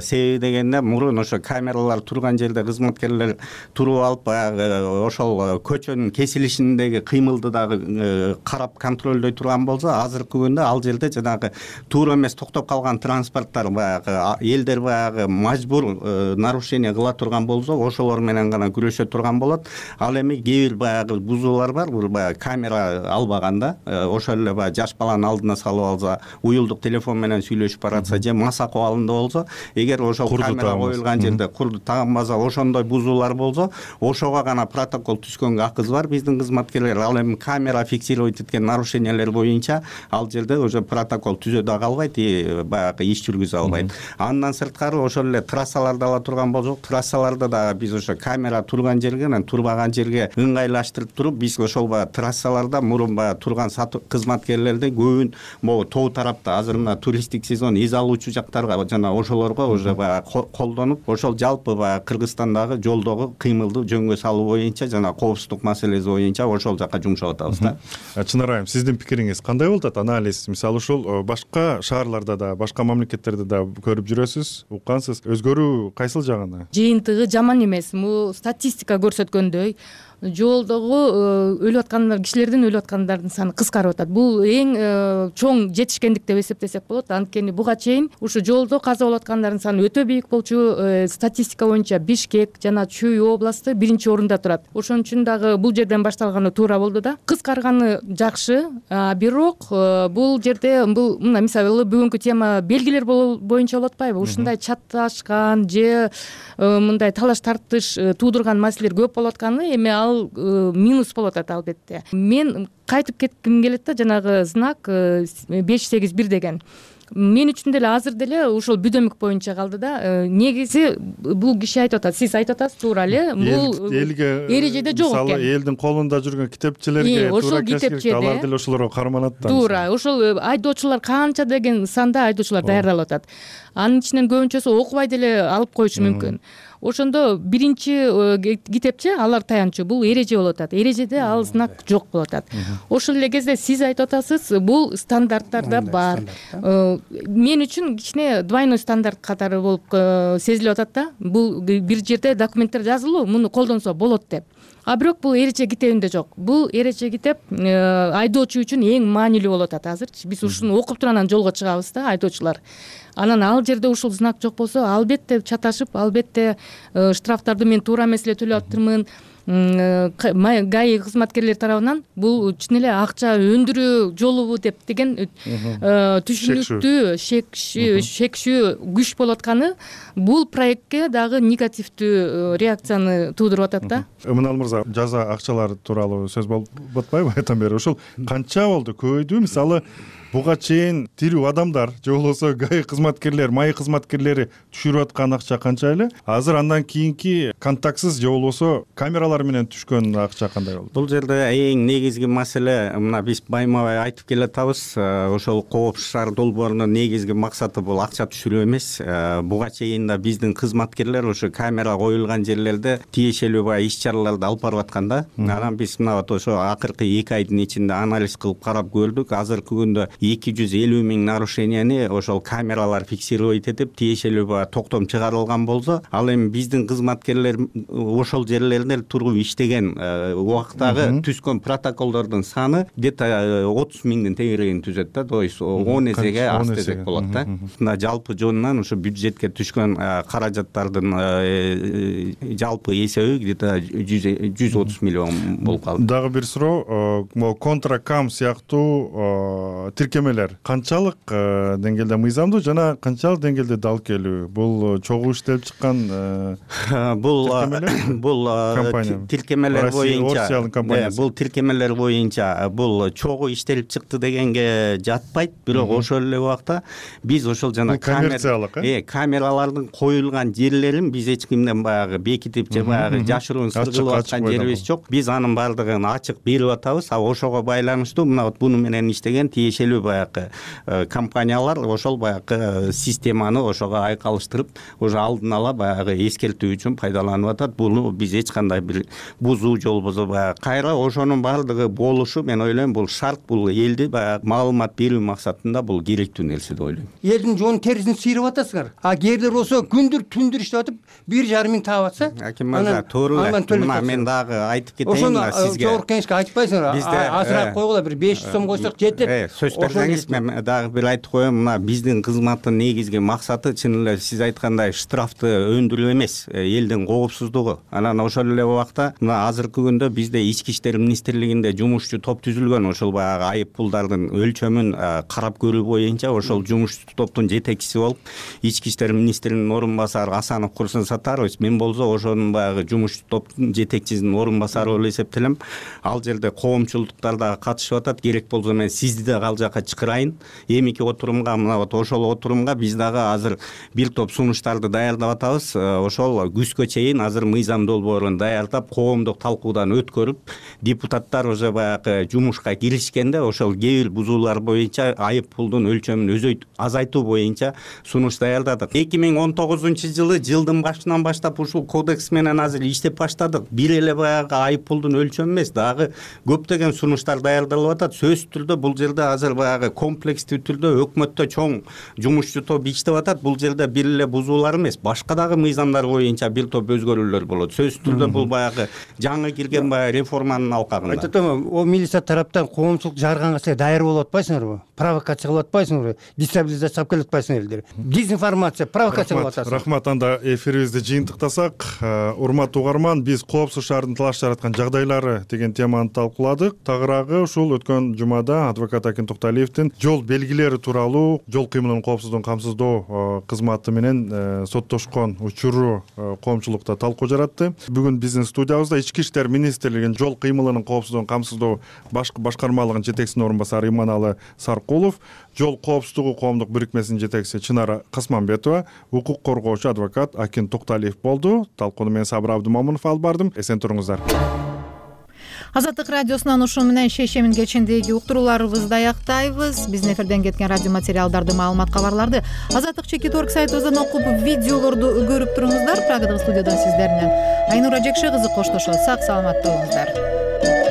Себеби дегенде мурун ошо камералар турган жерде кызматкерлер туруп алып баягы ошол көчөнүн кесилишиндеги кыймылды дагы карап контролдой турган болсо, азыркы күндө ал жерде жанагы туура эмес токтоп калган транспорттор баягы элдер баягы мажбур нарушение кыла турган болсо, ошолор менен гана күрөшө турган болот. Ал эми баягы бузуулар бар, бул баягы камера албаганда, ошол эле баягы жаш баланын алдына салып алса, уюлдук телефон менен сүйлөшүп баратса же маса абалында болсо, эгер ошол камера коюлган жерде курду таганбаса, ошондой бузуулар болсо, ошого гана протокол түзгөнгө акыбыз бар биздин кызматкерлер. Ал эми камера фиксировать эткен нарушениялер боюнча ал жерде уже протокол түзө да калбайт, баягы иш жүргүзө албайт. Андан сырткары ошол эле трассаларды ала турган болсок, трассаларда дагы биз ошо камера турган жерге, турбаган жерге ыңгайлаштырып туруп биз ошол баягы трассаларда мурун баягы турган кызматкерлердин көбүн могу тоо тарапта азыр мына туристтик сезон эз алуучу жактарга жана ошолорго уже баягы колдонуп ошол жалпы баягы Кыргызстандагы жолдогу кыймылды жөнгө салуу боюнча жана коопсуздук маселеси боюнча ошол жака жумшап атабыз да. Чынар айым, сиздин пикириңиз кандай болуп атат? Анализ мисалы ушул башка шаарларда да, башка мамлекеттерде да көрүп жүрөсүз, уккансыз. Өзгөрүү кайсыл жагына? Жыйынтыгы жаман эмес. Бул статистика көрсөткөндөй жолдогу өлүп аткандар, кишилердин өлүп аткандардын саны кыскарып атат. Бул эң чоң жетишкендик деп эсептесек болот. Анткени буга чейин ушу жолдо каза болуп аткандардын саны өтө бийик болчу. Статистика боюнча Бишкек жана Чүй областы биринчи орунда турат. Ошон үчүн дагы бул жерден башталганы туура болду да. Кыскарганы жакшы, бирок бул жерде бул мына мисалы бүгүнкү тема белгилер боюнча болуп атпайбы? Ушундай чаташкан же мындай талаш тартыш туудурган маселелер көп болуп атканы эми ал минус болуп атат албетте. Мен кайтып кетким келет да, жанагы знак беш сегиз бир деген. Мен үчүн деле азыр деле ушул бүдөмүк боюнча калды да. Негизи бул киши айтып атат, сиз айтып атасыз туура эле. Бул эрежеде жок экен. Мисалы элдин колунда жүргөн китепчилерге туура кескилик, алар деле ошолорго карманат да. Туура, ошол айдоочулар канча деген санда айдоочулар даярдалып атат. Анын ичинен көбүнчөсү окубай деле алып коюшу мүмкүн. Ошондо биринчи китепчи алар таянчу бул эреже болуп атат. Эрежеде ал знак жок болуп атат. Ошол эле кезде сиз айтып атасыз, бул стандарттарда бар. Мен үчүн кичине двойной стандарт катары болуп сезилип атат да. Бул бир жерде документтер жазылуу, муну колдонсо болот деп. А бирок бул эреже китебинде жок. Бул эреже китеп айдоочу үчүн эң маанилүү болуп атат азыр. Биз ушуну окуп туруп анан жолго чыгабыз да, айдоочулар. Анан ал жерде ушул знак жок болсо, албетте чаташып, албетте штрафтарды мен туура эмес эле төлөп атырмын. ГАИ кызматкерлери тарабынан бул чын эле акча өндүрүү жолубу деп деген түшүнүктүү шекшүү күч болуп атканы бул проектке дагы негативдүү реакцияны туудуруп атат да. Ымынал мырза, жаза акчалар тууралуу сөз болуп атпайбы айтан бери? Ошол канча болду, көбөйдүбү? Мисалы буга чейин тирүү адамдар же болбосо ГАИ кызматкерлери, МАИ кызматкерлери түшүрүп аткан акча канча эле? Азыр андан кийинки контактсыз же болбосо камералар менен түшкөн акча кандай болду? Бул жерде эң негизги маселе, мына биз байма бай айтып келатабыз, ошол коопсуз шаар долбоорунун негизги максаты бул акча түшүрүү эмес. Буга чейин да биздин кызматкерлер ошо камера коюлган жерлерде тиешелүү баягы иш-чараларды алып барып аткан да. Анан биз мына ошо акыркы эки айдын ичинде анализ кылып карап көрдүк. Азыркы күндө эки жүз элүү миң нарушенияны ошол камералар фиксировать этип тиешелүү баягы токтом чыгарылган болсо, ал эми биздин кызматкерлер ошол жерлерде туруп иштеген убактагы түзгөн протоколдордун саны где-то отуз миңдин тегерегин түзөт да. То есть он эсеге аз десек болот да. Мына жалпы жонунан ошо бюджетке түшкөн каражаттардын жалпы эсеби где-то жүз отуз миллион болуп калды. Дагы бир суроо, могу контракам сыяктуу тиркемелер канчалык деңгээлде мыйзамдуу жана канчалык деңгээлде далкелүү? Бул чогуу иштелип чыккан бул бул тиркемелер боюнча бул тиркемелер боюнча бул чогуу иштелип чыкты дегенге жатпайт. Бирок ошол эле убакта биз ошол жана коммерциялык э камералардын коюлган жерлерин биз эч кимден баягы бекитип же баягы жашыруун сыр кылып аткан жерибиз жок. Биз анын баардыгын ачык берип атабыз. А ошого байланыштуу мына вот буну менен иштеген тиешелүү баягы компаниялар ошол баягы системаны ошого айкалыштырып, уже алдын ала баягы эскертүү үчүн пайдаланып атат. Буну биз эч кандай бир бузуу же болбосо баягы кайра ошонун баардыгы болушу, мен ойлойм, бул шарт, бул элди баягы маалымат берүү максатында бул керектүү нерсе деп ойлойм. Элдин жоонун терисин сыйрап атасыңар. А кээрлер болсо күндүр түндүр иштеп атып бир жарым миң таап атса, аким мырза, туура эле. Мен дагы айтып кетейин сизге. Ошону жогорку кеңешке айтпайсыңар. Азыраак койгула, бир беш жүз сом койсок жетет. Сөз берсеңиз, мен дагы бир айтып коеюн. Мына биздин кызматтын негизги максаты чын эле сиз айткандай штрафты өндүрүү эмес, элдин коопсуздугу. Анан ошол эле убакта мына азыркы күндө бизде ички иштер министрлигинде жумушчу топ түзүлгөн. Ошол баягы айып пулдардын өлчөмүн карап көрүү боюнча ошол жумушчу топтун жетекчиси болуп ички иштер министринин орун басары Асанов Курсын Сатарович. Мен болсо ошонун баягы жумушчу топтун жетекчисинин орун басары болуп эсептелем. Ал жерде коомчулуктар дагы катышып атат. Керек болсо мен сизди да ал жакка жака чакырайын. Эмики отурумга, мына вот ошол отурумга биз дагы азыр бир топ сунуштарды даярдап атабыз. Ошол күзгө чейин азыр мыйзам долбоорун даярдап, коомдук талкуудан өткөрүп, депутаттар уже баягы жумушка киришкенде ошол кээ бир бузуулар боюнча айып пулдун өлчөмүн азайтуу боюнча сунуш даярдадык. эки миң он тогузунчу жылы жылдын башынан баштап ушул кодекс менен азыр иштеп баштадык. Бир эле баягы айып пулдун өлчөмү эмес, дагы көптөгөн сунуштар даярдалып атат. Сөзсүз түрдө бул жерде азыр баягы комплекстүү түрдө өкмөттө чоң жумушчу топ иштеп атат. Бул жерде бир эле бузуулар эмес, башка дагы мыйзамдар боюнча бир топ өзгөрүүлөр болот. Сөзсүз түрдө бул баягы жаңы кирген баягы реформанын алкагында. Айтып атам, о милиция тараптан коомчулук жарганга силер даяр болуп атпайсыңарбы? Провокация кылып атпайсыңарбы? Дестабилизация алып келип атпайсыңар? Дезинформация, провокация кылып атасыңар. Рахмат, анда эфирибизди жыйынтыктасак. Урматтуу угарман, биз коопсуз шаардын талаш жараткан жагдайлары деген теманы талкууладык. Тагыраагы ушул өткөн жумада адвокат Акин Токталиевдин жол белгилери тууралуу жол кыймылынын коопсуздугун камсыздоо кызматы менен соттошкон учуру коомчулукта талкуу жаратты. Бүгүн биздин студиябызда Ички иштер министрлигинин жол кыймылынын коопсуздугун камсыздоо башкы башкармалыгынын жетекчисинин орун басары Иманалы Саркулов, жол коопсуздугу коомдук бирикмесинин жетекчиси Чынара Касманбетова, укук коргоочу адвокат Акин Токталиев болду. Талкууну мен Сабыр Абдымомунов алып бардым. Эсен туруңуздар. Азаттык радиосунан ушун менен шешемин кечиндеги уктурууларыбызды аяктайбыз. Биздин эфирден кеткен радио материалдарды, маалымат, кабарларды азаттык чекит орг сайтыбыздан окуп, видеолорду көрүп туруңуздар. Прагадагы студиядан сиздер менен Айнура Жекше кызы коштошот. Сак саламатта болуңуздар.